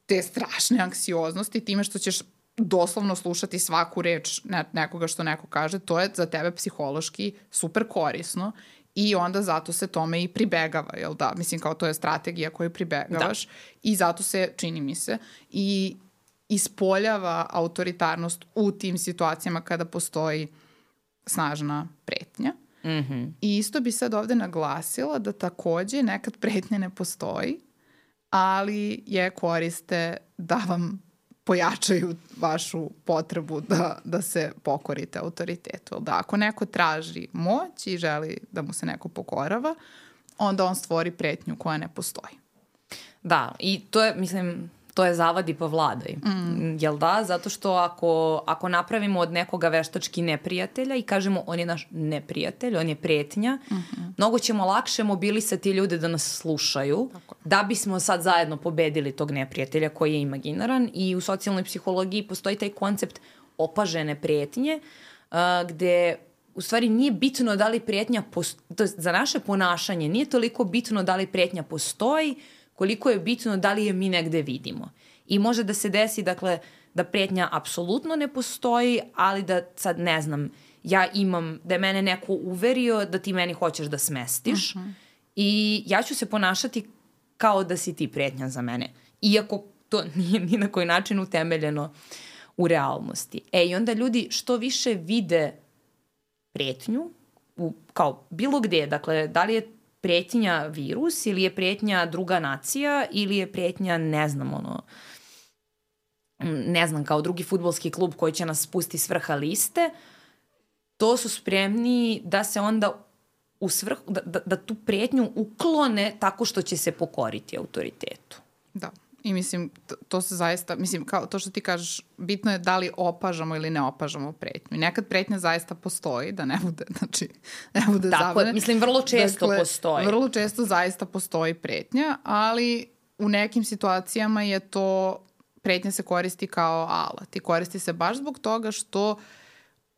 te strašne anksioznosti time što ćeš doslovno slušati svaku reč nekoga što neko kaže, to je za tebe psihološki super korisno i onda zato se tome i pribegava, jel da? Mislim, kao to je strategija koju pribegavaš i zato se, čini mi se, i ispoljava autoritarnost u tim situacijama kada postoji snažna pretnja. I isto bi sad ovde naglasila da takođe nekad pretnja ne postoji, ali je koriste da vam pojačaju vašu potrebu da se pokorite autoritetu. Da, ako neko traži moć i želi da mu se neko pokorava, onda on stvori pretnju koja ne postoji. Da, i to je, mislim, to je zavadi pa vladaj. Jel da? Zato što ako napravimo od nekoga veštački neprijatelja i kažemo on je naš neprijatelj, on je pretnja, mnogo ćemo lakše mobilisati ljude da nas slušaju, da bismo sad zajedno pobedili tog neprijatelja koji je imaginaran. I u socijalnoj psihologiji postoji taj koncept opažene pretnje, gde u stvari nije bitno da li pretnja za naše ponašanje nije toliko bitno da li pretnja postoji, koliko je bitno da li je mi negde vidimo. I može da se desi, dakle, da pretnja apsolutno ne postoji, ali da sad, ne znam, ja imam, da je mene neko uverio da ti meni hoćeš da smestiš i ja ću se ponašati kao da si ti pretnja za mene. Iako to nije ni na koji način utemeljeno u realnosti. I onda ljudi što više vide pretnju, kao bilo gde, dakle, da li je pretnja virus ili je pretnja druga nacija ili je pretnja, ne znam, kao drugi fudbalski klub koji će nas spustiti s vrha liste, to su spremni da se onda da tu pretnju uklone tako što će se pokoriti autoritetu. Da. I mislim, to se zaista, mislim, kao to što ti kažeš, bitno je da li opažamo ili ne opažamo pretnju. I nekad pretnja zaista postoji, da ne bude, znači, ne bude tako, zabavne. Mislim, vrlo često postoji. Vrlo često zaista postoji pretnja, ali u nekim situacijama je to, pretnja se koristi kao alat. I koristi se baš zbog toga što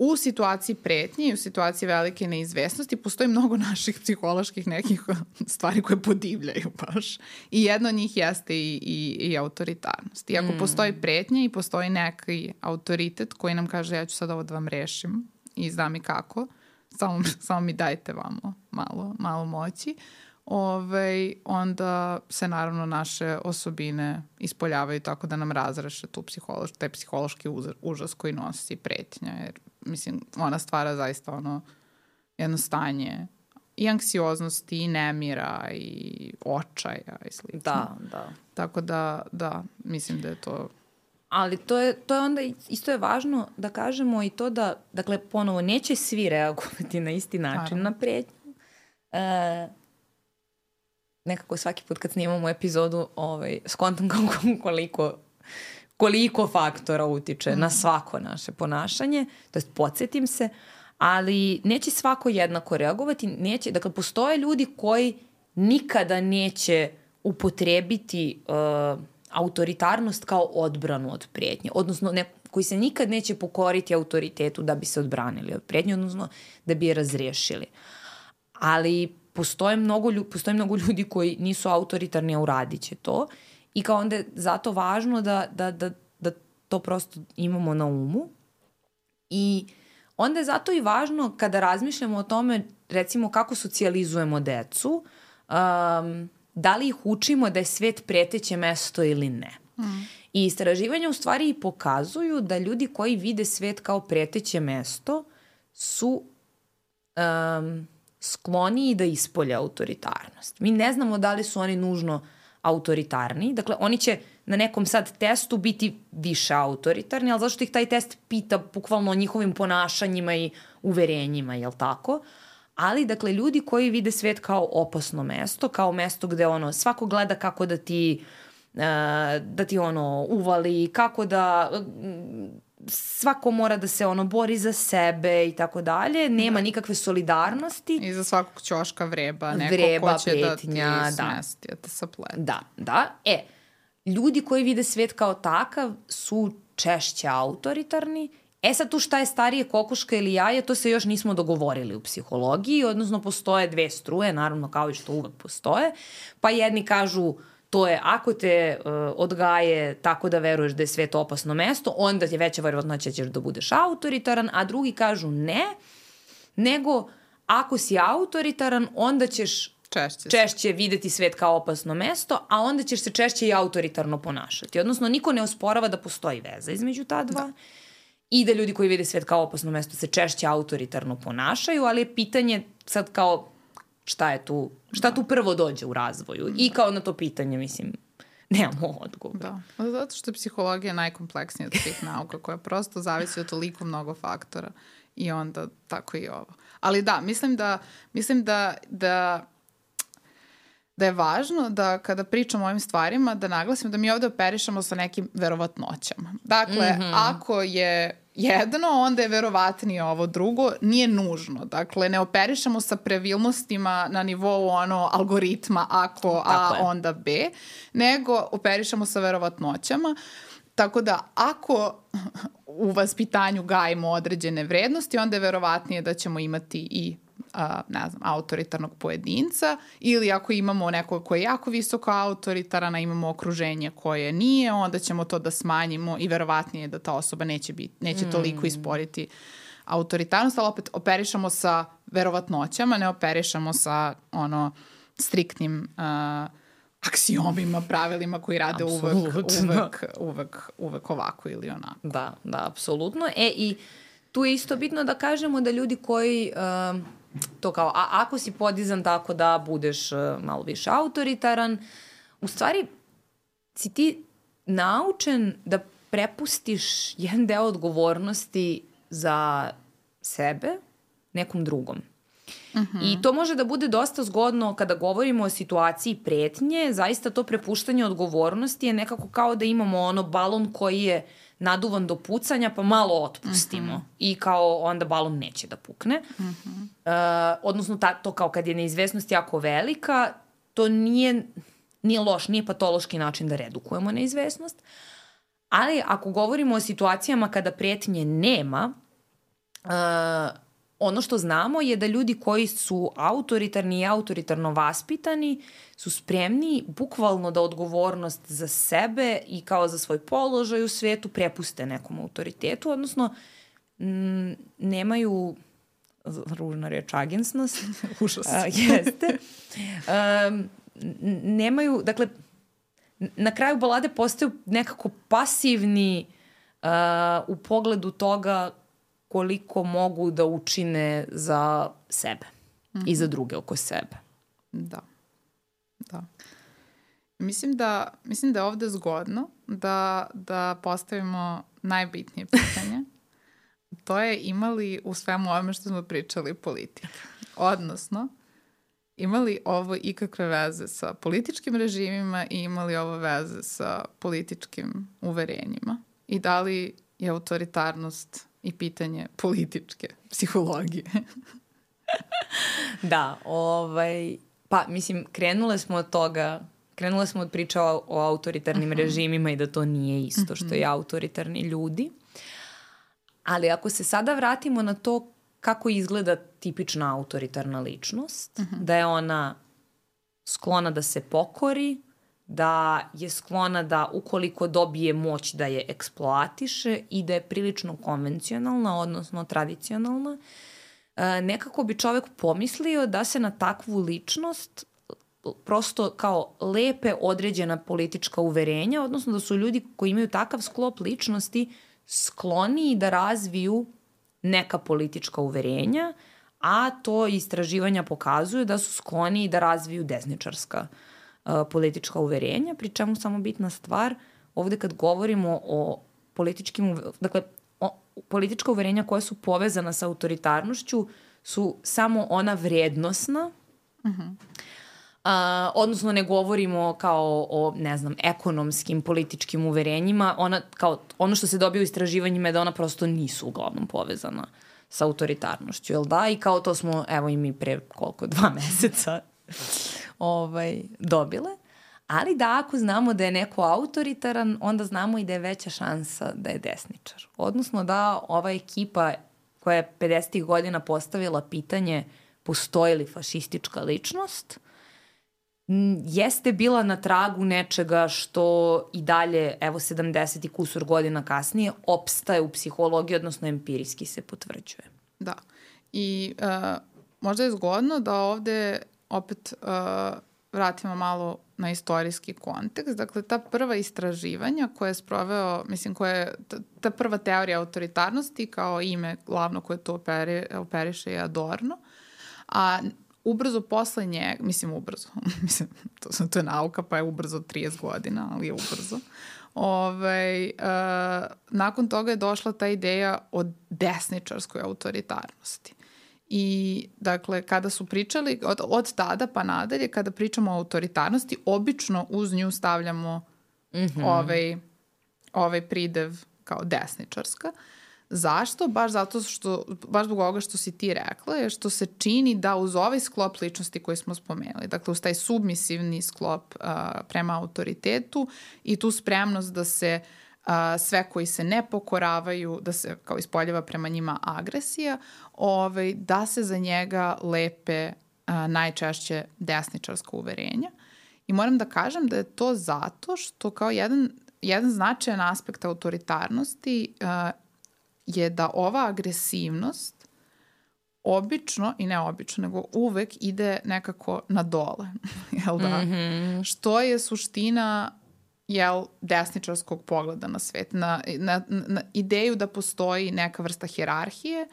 u situaciji pretnje i u situaciji velike neizvesnosti postoji mnogo naših psiholoških nekih stvari koje podivljaju baš. I jedna od njih jeste i autoritarnost. I ako postoji pretnja i postoji neki autoritet koji nam kaže ja ću sad ovo da vam rešim i zna mi kako, samo mi dajte vamo malo moći, onda se naravno naše osobine ispoljavaju tako da nam razreše taj psihološki užas koji nosi pretnja. Jer, mislim, ona stvara zaista jedno stanje i anksioznosti, i nemira, i očaja, i slično. Da. Tako da, mislim da je to... Ali to je onda, isto je važno da kažemo i to da, dakle, ponovo, neće svi reagovati na isti način na pretnju. Nekako svaki put kad snimamo epizodu skontam koliko faktora utiče na svako naše ponašanje, to jest podsjetim se, ali neće svako jednako reagovati, dakle, postoje ljudi koji nikada neće upotrebiti autoritarnost kao odbranu od pretnje, odnosno koji se nikad neće pokoriti autoritetu da bi se odbranili od pretnje, odnosno da bi je razriješili. Ali postoje mnogo ljudi koji nisu autoritarni, a uradit će to. I kao onda je zato važno da to prosto imamo na umu. I onda je zato i važno kada razmišljamo o tome, recimo, kako socijalizujemo decu, da li ih učimo da je svet preteće mesto ili ne. I istraživanja u stvari i pokazuju da ljudi koji vide svet kao preteće mesto su skloniji da ispolje autoritarnost. Mi ne znamo da li su oni nužno autoritarni. Dakle, oni će na nekom sad testu biti više autoritarni, ali zašto ih taj test pita bukvalno o njihovim ponašanjima i uverenjima, jel tako? Ali, dakle, ljudi koji vide svet kao opasno mesto, kao mesto gde svako gleda kako da ti uvali, kako da svako mora da se bori za sebe i tako dalje, nema nikakve solidarnosti. I za svakog ćoška vreba neko ko će pretnja, da ti smesti, da te saplete. Da. Ljudi koji vide svet kao takav su češće autoritarni. Sad tu šta je starije, kokoška ili jaje, to se još nismo dogovorili u psihologiji, odnosno postoje dve struje, naravno kao i što uvek postoje, pa jedni kažu to je ako te odgaje tako da veruješ da je svet opasno mesto, onda je veća verovatnoća ćeš da budeš autoritaran, a drugi kažu ne, nego ako si autoritaran, onda ćeš češće videti svet kao opasno mesto, a onda ćeš se češće i autoritarno ponašati. Odnosno, niko ne osporava da postoji veza između ta dva i da ljudi koji vide svet kao opasno mesto se češće autoritarno ponašaju, ali je pitanje sad kao šta tu prvo dođe u razvoju. I kao na to pitanje, mislim, nemamo odgovor. Da, zato što je psihologija najkompleksnija od svih nauka koja prosto zavisi od toliko mnogo faktora i onda tako i ovo. Ali da, mislim da je važno da kada pričamo o ovim stvarima da naglasimo da mi ovde operišemo sa nekim verovatnoćama. Dakle, ako je jedno, onda je verovatnije ovo drugo, nije nužno. Dakle, ne operišemo sa pravilnostima na nivou algoritma ako A, onda B, nego operišemo sa verovatnoćama. Tako da ako u vaspitanju gajimo određene vrednosti, onda je verovatnije da ćemo imati i autoritarnog pojedinca, ili ako imamo nekog koji je jako visoko autoritaran, a imamo okruženje koje nije, onda ćemo to da smanjimo i verovatnije da ta osoba neće toliko isporiti autoritarnost, ali opet operišemo sa verovatnoćama, ne operišemo sa striktnim aksiomima, pravilima koji rade uvek ovako ili onako. Da, apsolutno. I tu je isto bitno da kažemo da ljudi koji to kao, ako si podizan tako da budeš malo više autoritaran, u stvari si ti naučen da prepustiš jedan deo odgovornosti za sebe nekom drugom. I to može da bude dosta zgodno kada govorimo o situaciji pretnje. Zaista to prepuštanje odgovornosti je nekako kao da imamo balon koji je naduvan do pucanja, pa malo otpustimo. I kao onda balon neće da pukne. Odnosno, to kao kad je neizvesnost jako velika, to nije loš, nije patološki način da redukujemo neizvesnost. Ali ako govorimo o situacijama kada pretnje nema, ono što znamo je da ljudi koji su autoritarni i autoritarno vaspitani su spremni bukvalno da odgovornost za sebe i kao za svoj položaj u svetu prepuste nekom autoritetu, odnosno nemaju, ružna reč, agensnost. Užas. Jeste. Nemaju, dakle, na kraju balade postaju nekako pasivni u pogledu toga koliko mogu da učine za sebe i za druge oko sebe. Da. Mislim da je ovde zgodno da postavimo najbitnije pitanje. To je imali u svemu ovome što smo pričali politike. Odnosno, imali ovo ikakve veze sa političkim režimima i imali ovo veze sa političkim uverenjima. I da li je autoritarnost i pitanje političke psihologije. Da, pa mislim, krenule smo od priča o autoritarnim režimima i da to nije isto što i autoritarni ljudi. Ali ako se sada vratimo na to kako izgleda tipična autoritarna ličnost, da je ona sklona da se pokori, da je sklona da ukoliko dobije moć da je eksploatiše i da je prilično konvencionalna, odnosno tradicionalna, nekako bi čovek pomislio da se na takvu ličnost prosto kao lepe određena politička uverenja, odnosno da su ljudi koji imaju takav sklop ličnosti skloniji da razviju neka politička uverenja, a to istraživanja pokazuju da su skloniji da razviju desničarska politička uverenja, pri čemu samo bitna stvar, ovde kad govorimo o politička uverenja koja su povezana sa autoritarnošću su samo ona vrednosna, odnosno ne govorimo kao o, ne znam, ekonomskim, političkim uverenjima, ono što se dobije u istraživanjima je da ona prosto nisu uglavnom povezana sa autoritarnošću, jel da? I kao to smo, evo i mi pre 2 meseca dobile. Ali da ako znamo da je neko autoritaran, onda znamo i da je veća šansa da je desničar. Odnosno da ova ekipa koja je 50. godina postavila pitanje postoji li fašistička ličnost, jeste bila na tragu nečega što i dalje, evo 70 i kusur godina kasnije, opstaje u psihologiji, odnosno empirijski se potvrđuje. Da. I možda je zgodno da ovde opet vratimo malo na istorijski kontekst. Dakle, ta prva istraživanja koje je sproveo, mislim, ta prva teorija autoritarnosti kao ime glavno koje to operiše je Adorno. A ubrzo posle njega, mislim, to je nauka, pa je ubrzo 30 godina, ali je ubrzo. Nakon toga je došla ta ideja o desničarskoj autoritarnosti. I, dakle, kada su pričali, od tada pa nadalje, kada pričamo o autoritarnosti, obično uz nju stavljamo ovaj pridev kao desničarska. Zašto? Baš zbog ovoga što si ti rekla, je što se čini da uz ovaj sklop ličnosti koji smo spomenuli, dakle uz taj submisivni sklop prema autoritetu i tu spremnost da se sve koji se ne pokoravaju, da se kao ispoljava prema njima agresija, da se za njega lepe najčešće desničarska uverenja. I moram da kažem da je to zato što kao jedan značajan aspekt autoritarnosti je da ova agresivnost obično, i ne obično, nego uvek ide nekako na dole. Jel da? Što je suština desničarskog pogleda na svet, na ideju da postoji neka vrsta hijerarhije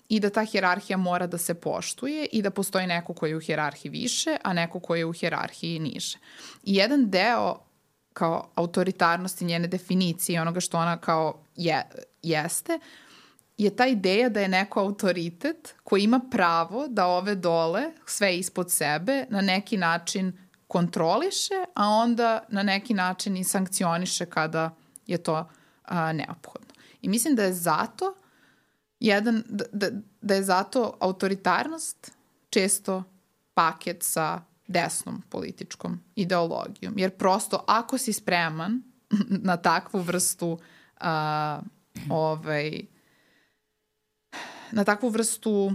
i da ta hijerarhija mora da se poštuje i da postoji neko koji je u hijerarhiji više, a neko koji je u hijerarhiji niže. I jedan deo kao autoritarnosti, njene definicije, onoga što ona kao jeste, je ta ideja da je neko autoritet koji ima pravo da ove dole, sve ispod sebe, na neki način kontroliše, a onda na neki način i sankcioniše kada je to neophodno. I mislim da je zato da je zato autoritarnost često paket sa desnom političkom ideologijom. Jer prosto ako si spreman na takvu vrstu na takvu vrstu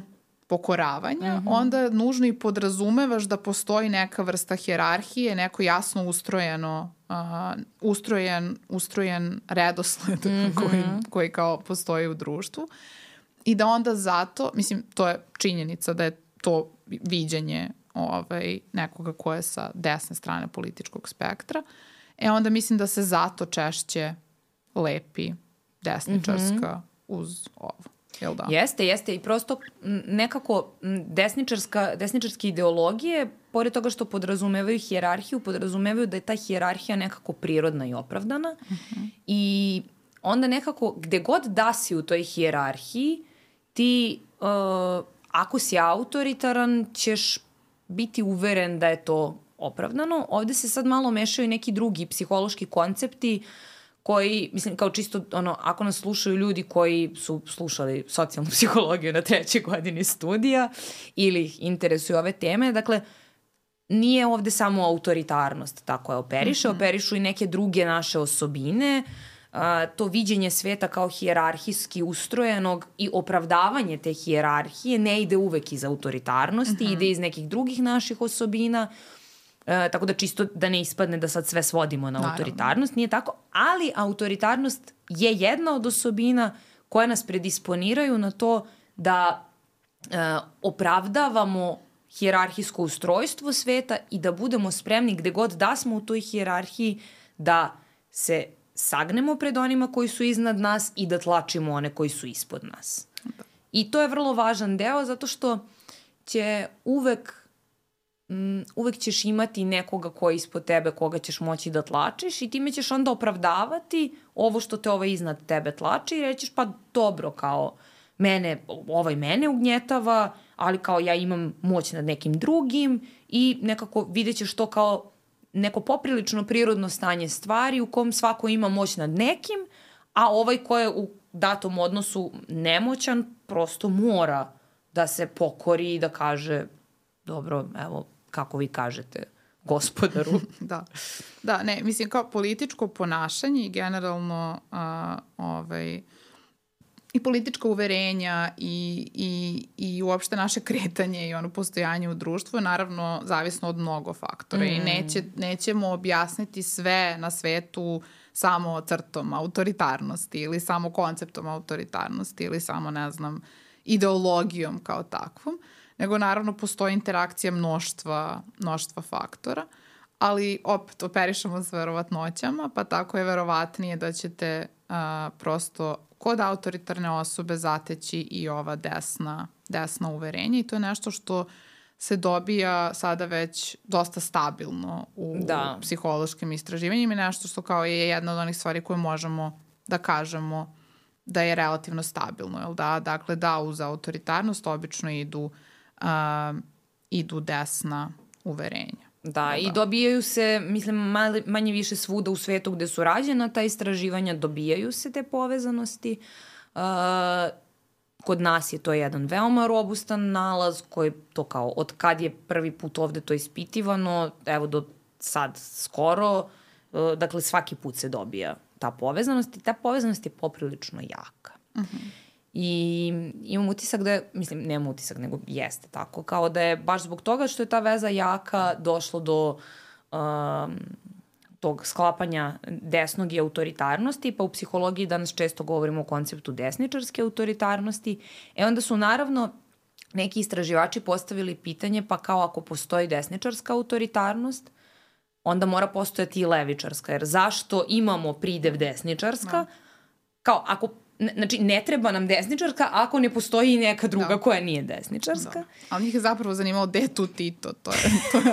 pokoravanja, onda nužno i podrazumevaš da postoji neka vrsta hijerarhije, neko jasno ustrojen redosled koji kao postoji u društvu. I da onda zato, mislim, to je činjenica da je to viđenje nekoga ko je sa desne strane političkog spektra. Onda mislim da se zato češće lepi desničarska uz ovo. Jel da? Jeste. I prosto nekako desničarske ideologije, pored toga što podrazumevaju hijerarhiju, podrazumevaju da je ta hijerarhija nekako prirodna i opravdana. I onda nekako gde god da si u toj hijerarhiji, ti ako si autoritaran ćeš biti uveren da je to opravdano. Ovde se sad malo mešaju neki drugi psihološki koncepti koji, mislim, kao čisto, ako nas slušaju ljudi koji su slušali socijalnu psihologiju na 3. godini studija ili ih interesuju ove teme, dakle, nije ovde samo autoritarnost tako je operiše, operišu i neke druge naše osobine, to viđenje sveta kao hijerarhijski ustrojenog i opravdavanje te hijerarhije ne ide uvek iz autoritarnosti, ide iz nekih drugih naših osobina, tako da čisto da ne ispadne da sad sve svodimo na autoritarnost, nije tako, ali autoritarnost je jedna od osobina koja nas predisponiraju na to da opravdavamo hijerarhijsko ustrojstvo sveta i da budemo spremni gde god da smo u toj hijerarhiji da se sagnemo pred onima koji su iznad nas i da tlačimo one koji su ispod nas. I to je vrlo važan deo zato što će uvek ćeš imati nekoga koji je ispod tebe, koga ćeš moći da tlačiš i time ćeš onda opravdavati ovo što te ovaj iznad tebe tlači i rećeš pa dobro, kao ovaj mene ugnjetava, ali kao ja imam moć nad nekim drugim i nekako vidjet ćeš to kao neko poprilično prirodno stanje stvari u kom svako ima moć nad nekim, a ovaj ko je u datom odnosu nemoćan prosto mora da se pokori i da kaže dobro, evo, kako vi kažete, gospodaru. Da, ne, mislim, kao političko ponašanje i generalno i politička uverenja i uopšte naše kretanje i ono postojanje u društvu je naravno zavisno od mnogo faktora i nećemo objasniti sve na svetu samo crtom autoritarnosti ili samo konceptom autoritarnosti ili samo, ne znam, ideologijom kao takvom, nego naravno postoji interakcija mnoštva faktora, ali opet operišemo s verovatnoćama, pa tako je verovatnije da ćete prosto kod autoritarne osobe zateći i ova desna uverenja i to je nešto što se dobija sada već dosta stabilno u psihološkim istraživanjima i nešto što kao je jedna od onih stvari koje možemo da kažemo da je relativno stabilno, jel da? Dakle, da, uz autoritarnost obično idu desna uverenja. Da, i dobijaju se, mislim, manje više svuda u svetu gde su rađena ta istraživanja, dobijaju se te povezanosti. Kod nas je to jedan veoma robustan nalaz koji to kao od kad je prvi put ovde to ispitivano, evo do sad skoro, dakle svaki put se dobija ta povezanost i ta povezanost je poprilično jaka. I imam utisak da je, mislim, nemam utisak, nego jeste tako, kao da je baš zbog toga što je ta veza jaka došlo do tog sklapanja desnog i autoritarnosti, pa u psihologiji danas često govorimo o konceptu desničarske autoritarnosti. Onda su naravno neki istraživači postavili pitanje, pa kao ako postoji desničarska autoritarnost, onda mora postojati i levičarska, jer zašto imamo pridev desničarska? Kao ako znači, ne treba nam desničarska ako ne postoji neka druga koja nije desničarska. Da. Ali njih je zapravo zanimalo gde je tu Tito. To je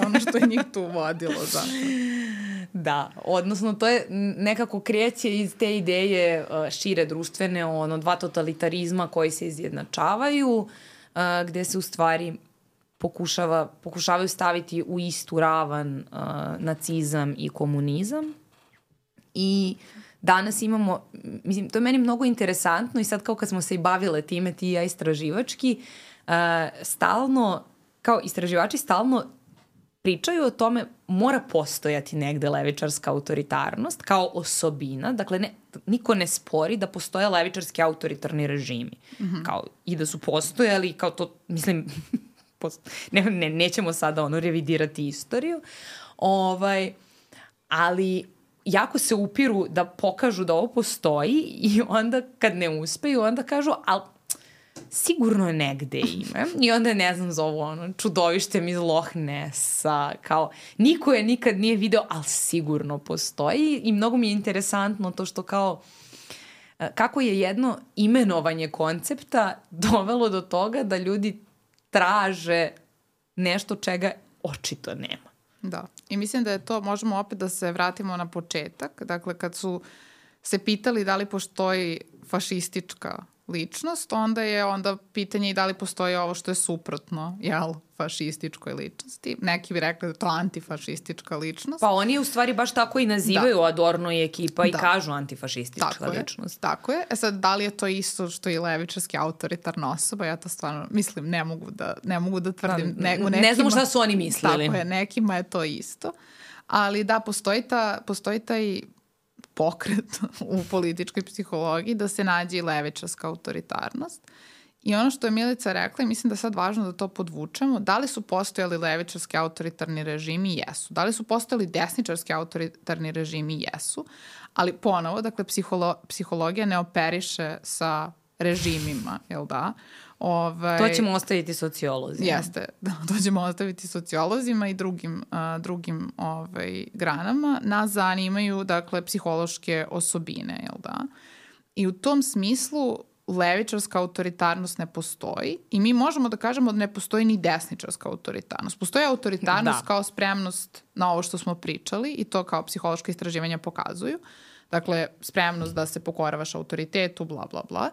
ono što je njih tu vodilo zapravo. Da, odnosno to je nekako kreće iz te ideje šire društvene, dva totalitarizma koji se izjednačavaju, gde se u stvari pokušavaju staviti u istu ravan nacizam i komunizam. I danas imamo, mislim, to je meni mnogo interesantno i sad kao kad smo se i bavile time, ti i ja istraživački, stalno, kao istraživači stalno pričaju o tome mora postojati negde levičarska autoritarnost kao osobina. Dakle, niko ne spori da postoje levičarski autoritarni režimi. Kao, i da su postojali, kao to, mislim, nećemo sada revidirati istoriju. Ali jako se upiru da pokažu da ovo postoji i onda kad ne uspeju, onda kažu, ali sigurno je negde ime. I onda ne znam, zovu čudovištem iz Loch Nessa, kao niko je nikad nije video, ali sigurno postoji i mnogo mi je interesantno to što kao kako je jedno imenovanje koncepta dovelo do toga da ljudi traže nešto čega očito nema. Da, i mislim da je to, možemo opet da se vratimo na početak, dakle kad su se pitali da li postoji fašistička ličnost, onda pitanje i da li postoji ovo što je suprotno, fašističkoj ličnosti. Neki bi rekli da je to antifašistička ličnost. Pa oni u stvari baš tako i nazivaju Adorno i ekipa i kažu antifašistička ličnost. Tako je. Sad, da li je to isto što je levičarski autoritarna osoba? Ja to stvarno, mislim, ne mogu da tvrdim. Ne znamo šta su oni mislili. Tako je, nekima je to isto. Ali da, postoji taj pokret u političkoj psihologiji da se nađe i levičarska autoritarnost. I ono što je Milica rekla, i mislim da je sad važno da to podvučemo, da li su postojali levičarski autoritarni režimi? Jesu. Da li su postojali desničarski autoritarni režimi? Jesu. Ali ponovo, dakle, psihologija ne operiše sa režimima, jel da? To ćemo ostaviti sociolozima. Jeste, da, to ćemo ostaviti sociolozima i drugim granama. Nas zanimaju, dakle, psihološke osobine, jel da? I u tom smislu levičarska autoritarnost ne postoji i mi možemo da kažemo da ne postoji ni desničarska autoritarnost. Postoji autoritarnost kao spremnost na ovo što smo pričali i to kao psihološka istraživanja pokazuju. Dakle, spremnost da se pokoravaš autoritetu, bla, bla, bla.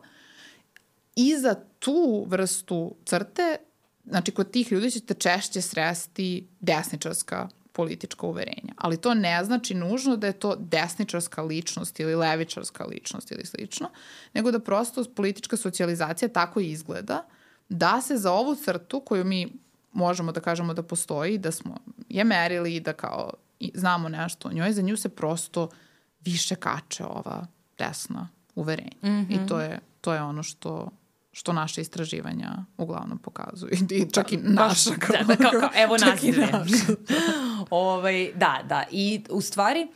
I za tu vrstu crte, znači kod tih ljudi ćete češće sresti desničarska politička uverenja. Ali to ne znači nužno da je to desničarska ličnost ili levičarska ličnost ili slično, nego da prosto politička socijalizacija tako izgleda da se za ovu crtu koju mi možemo da kažemo da postoji, da smo je merili i da kao znamo nešto o njoj, za nju se prosto više kače ova desna uverenja. I to je ono što naše istraživanja uglavnom pokazuju. I čak i naša. Evo nas dve. Da. I u stvari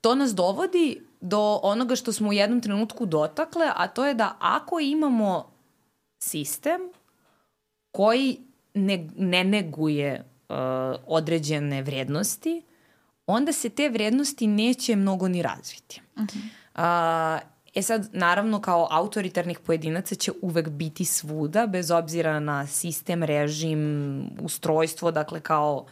to nas dovodi do onoga što smo u jednom trenutku dotakle, a to je da ako imamo sistem koji ne neguje određene vrednosti, onda se te vrednosti neće mnogo ni razviti. Sad, naravno, kao autoritarnih pojedinaca će uvek biti svuda, bez obzira na sistem, režim, ustrojstvo, dakle kao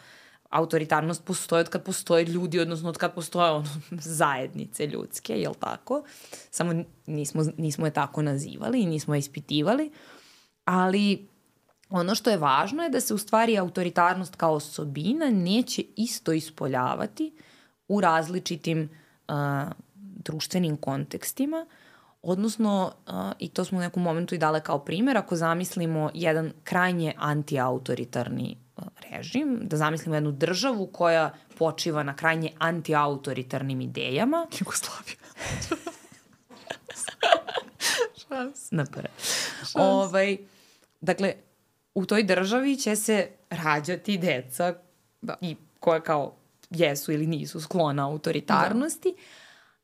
autoritarnost postoji od kad postoje ljudi, odnosno od kad postoje zajednice ljudske, jel tako? Samo nismo je tako nazivali i nismo je ispitivali, ali ono što je važno je da se u stvari autoritarnost kao osobina neće isto ispoljavati u različitim društvenim kontekstima, odnosno, i to smo u nekom momentu i dale kao primjer, ako zamislimo jedan krajnje antiautoritarni režim, da zamislimo jednu državu koja počiva na krajnje antiautoritarnim idejama. Jugoslavija. Šans. Napre. Dakle, u toj državi će se rađati deca i koja kao jesu ili nisu sklona autoritarnosti,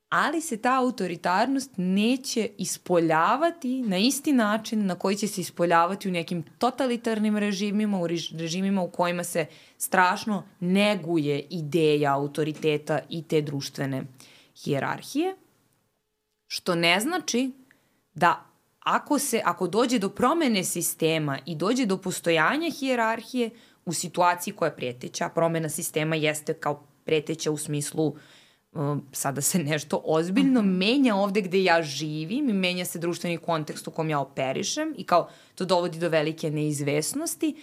ali se ta autoritarnost neće ispoljavati na isti način na koji će se ispoljavati u nekim totalitarnim režimima, u režimima u kojima se strašno neguje ideja autoriteta i te društvene hijerarhije, što ne znači da ako dođe do promene sistema i dođe do postojanja hijerarhije u situaciji koja je preteća, promena sistema jeste kao preteća u smislu sada se nešto ozbiljno menja ovde gde ja živim i menja se društveni kontekst u kom ja operišem i kao to dovodi do velike neizvesnosti,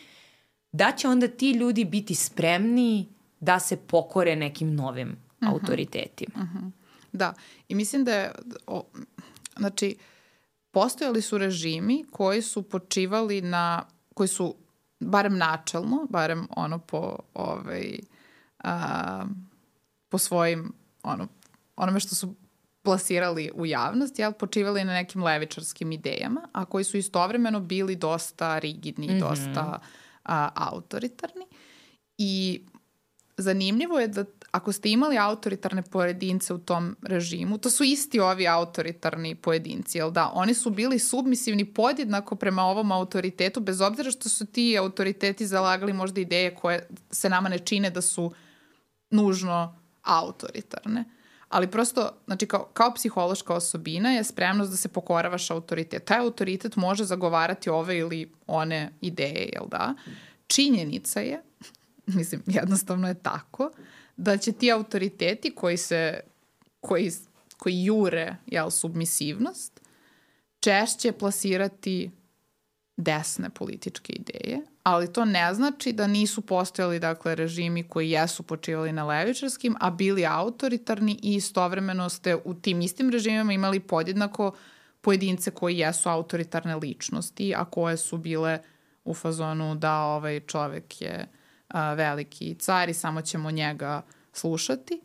da će onda ti ljudi biti spremni da se pokore nekim novim autoritetima. Da, i mislim da je, znači, postojali su režimi koji su počivali koji su, barem načelno, barem ono po svojim, onome što su plasirali u javnost, počivali na nekim levičarskim idejama, a koji su istovremeno bili dosta rigidni i dosta autoritarni. I zanimljivo je da ako ste imali autoritarne pojedince u tom režimu, to su isti ovi autoritarni pojedinci, jel da? Oni su bili submisivni podjednako prema ovom autoritetu, bez obzira što su ti autoriteti zalagali možda ideje koje se nama ne čine da su nužno autoritarne. Ali prosto, znači kao psihološka osobina je spremnost da se pokoravaš autoritet. Taj autoritet može zagovarati ove ili one ideje, jel da? Činjenica je, mislim, jednostavno je tako, da će ti autoriteti koji jure, submisivnost, češće plasirati desne političke ideje, ali to ne znači da nisu postojali, dakle, režimi koji jesu počivali na levičarskim, a bili autoritarni i istovremeno ste u tim istim režimima imali podjednako pojedince koji jesu autoritarne ličnosti, a koje su bile u fazonu da ovaj čovek je veliki car i samo ćemo njega slušati,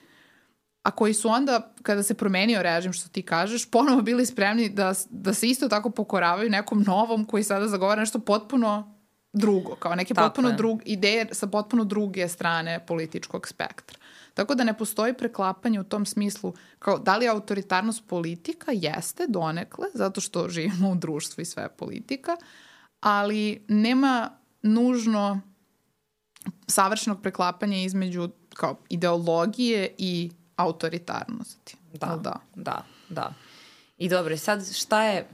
a koji su onda, kada se promenio režim, što ti kažeš, ponovo bili spremni da se isto tako pokoravaju nekom novom koji sada zagovara nešto potpuno drugo, kao neke potpuno ideje sa potpuno druge strane političkog spektra. Tako da ne postoji preklapanje u tom smislu, kao da li autoritarnost politika jeste donekle, zato što živimo u društvu i sve je politika, ali nema nužno savršenog preklapanja između kao ideologije i autoritarnosti. Da. I dobro, sad šta je...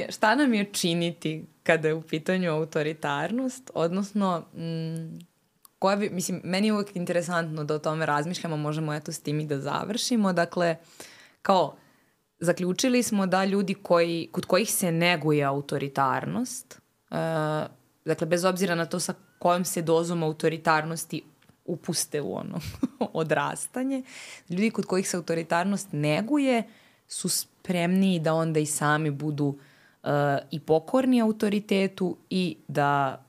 šta nam je činiti kada je u pitanju autoritarnost? Odnosno, meni je uvijek interesantno da o tome razmišljamo, možemo eto s tim i da završimo. Dakle, kao, zaključili smo da ljudi kod kojih se neguje autoritarnost, dakle, bez obzira na to sa kojom se dozom autoritarnosti upuste u ono odrastanje, ljudi kod kojih se autoritarnost neguje su spremniji da onda i sami budu i pokorni autoritetu i da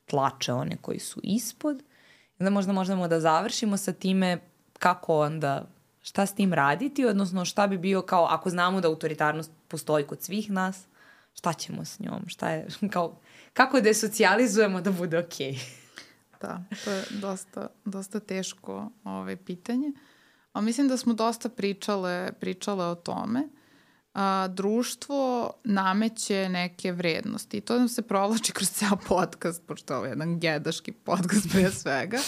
tlače one koji su ispod. Onda možda možemo da završimo sa time kako onda, šta s tim raditi, odnosno šta bi bio kao, ako znamo da autoritarnost postoji kod svih nas, šta ćemo s njom, šta je, kao, kako da je socijalizujemo da bude okej. Da, to je dosta teško pitanje. A mislim da smo dosta pričale o tome. Društvo nameće neke vrednosti i to nam se provlači kroz ceo podcast, pošto ovo je jedan gedaški podcast pre svega,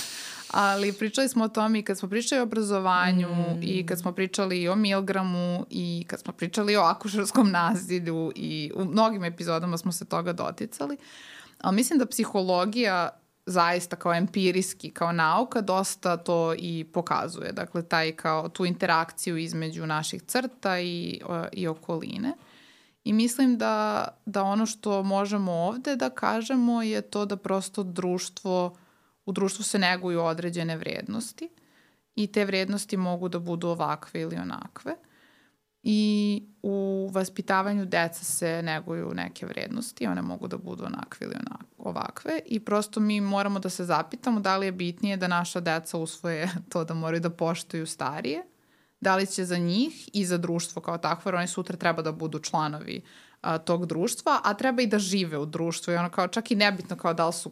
Ali pričali smo o tome i kad smo pričali o obrazovanju i kad smo pričali o Milgramu i kad smo pričali o akušerskom nasilju i u mnogim epizodama smo se toga doticali. Ali mislim da psihologija zaista kao empirijski, kao nauka, dosta to i pokazuje. Dakle, tu interakciju između naših crta i okoline. I mislim da ono što možemo ovde da kažemo je to da prosto u društvu se neguju određene vrednosti i te vrednosti mogu da budu ovakve ili onakve. I u vaspitavanju deca se neguju neke vrednosti, one mogu da budu onakve ili ovakve i prosto mi moramo da se zapitamo da li je bitnije da naša deca usvoje to da moraju da poštuju starije, da li će za njih i za društvo kao takvo, jer oni sutra treba da budu članovi tog društva, a treba i da žive u društvu i ono kao čak i nebitno kao da li su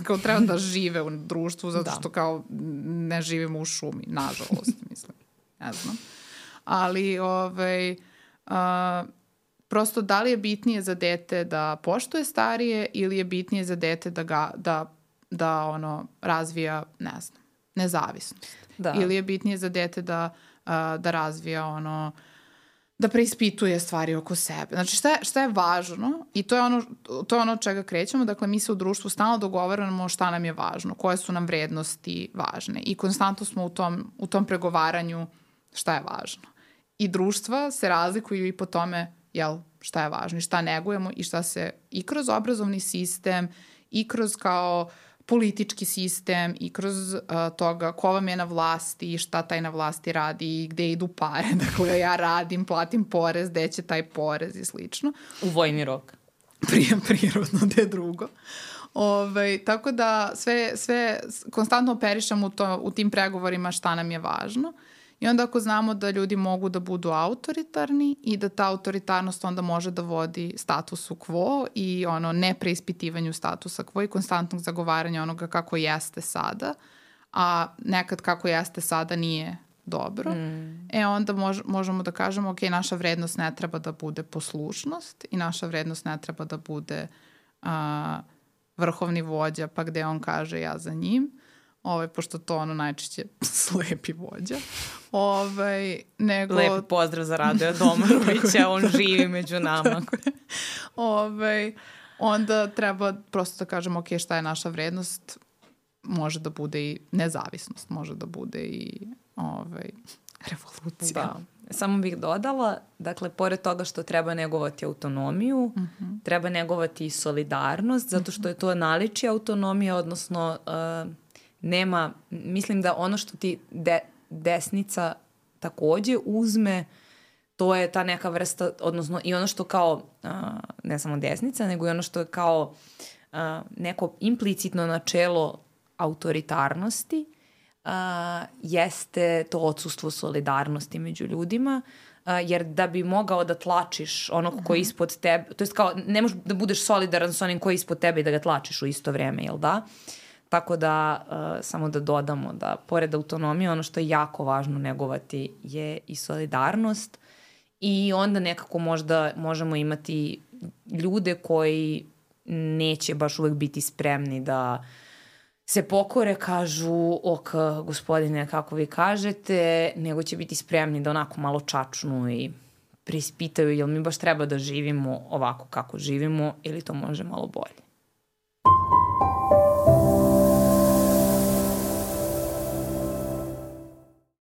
kao treba da žive u društvu zato što kao ne živimo u šumi, nažalost, mislim, ne znam. Ali prosto da li je bitnije za dete da poštuje starije ili je bitnije za dete da ono razvija, ne znam, nezavisnost. Da. Ili je bitnije za dete da razvija ono, da preispituje stvari oko sebe. Znači šta je važno i to je ono od čega krećemo. Dakle, mi se u društvu stalno dogovaramo šta nam je važno, koje su nam vrednosti važne i konstantno smo u tom pregovaranju šta je važno. I društva se razlikuju i po tome šta je važno i šta negujemo i šta se i kroz obrazovni sistem i kroz kao politički sistem i kroz toga ko vam je na vlasti i šta taj na vlasti radi i gde idu pare. Dakle, ja radim, platim porez, gde će taj porez i slično. U vojni rok. Prirodno, gde drugo. Tako da sve konstantno operišemo u tim pregovorima šta nam je važno. I onda ako znamo da ljudi mogu da budu autoritarni i da ta autoritarnost onda može da vodi statusu quo i ono nepreispitivanju statusa quo i konstantnog zagovaranja onoga kako jeste sada, a nekad kako jeste sada nije dobro, onda možemo da kažemo ok, naša vrednost ne treba da bude poslušnost i naša vrednost ne treba da bude vrhovni vođa pa gde on kaže ja za njim. Pošto to ono najčešće slepi vođa. Lepi pozdrav za Radoja Domanovića, on živi među nama. Onda treba prosto da kažemo ok, šta je naša vrednost, može da bude i nezavisnost, može da bude i revolucija. Da. Samo bih dodala, dakle, pored toga što treba negovati autonomiju, treba negovati i solidarnost, zato što je to naličje autonomije, odnosno mislim da ono što ti desnica takođe uzme, to je ta neka vrsta, odnosno i ono što kao, ne samo desnica, nego i ono što je kao neko implicitno načelo autoritarnosti, jeste to odsustvo solidarnosti među ljudima, jer da bi mogao da tlačiš onog koji je ispod tebe, to je kao ne možeš da budeš solidaran s onim koji je ispod tebe i da ga tlačiš u isto vreme, jel da? Tako da, samo da dodamo da pored autonomije ono što je jako važno negovati je i solidarnost i onda nekako možda možemo imati ljude koji neće baš uvek biti spremni da se pokore, kažu ok, gospodine, kako vi kažete, nego će biti spremni da onako malo čačnu i preispitaju jel mi baš treba da živimo ovako kako živimo ili to može malo bolje.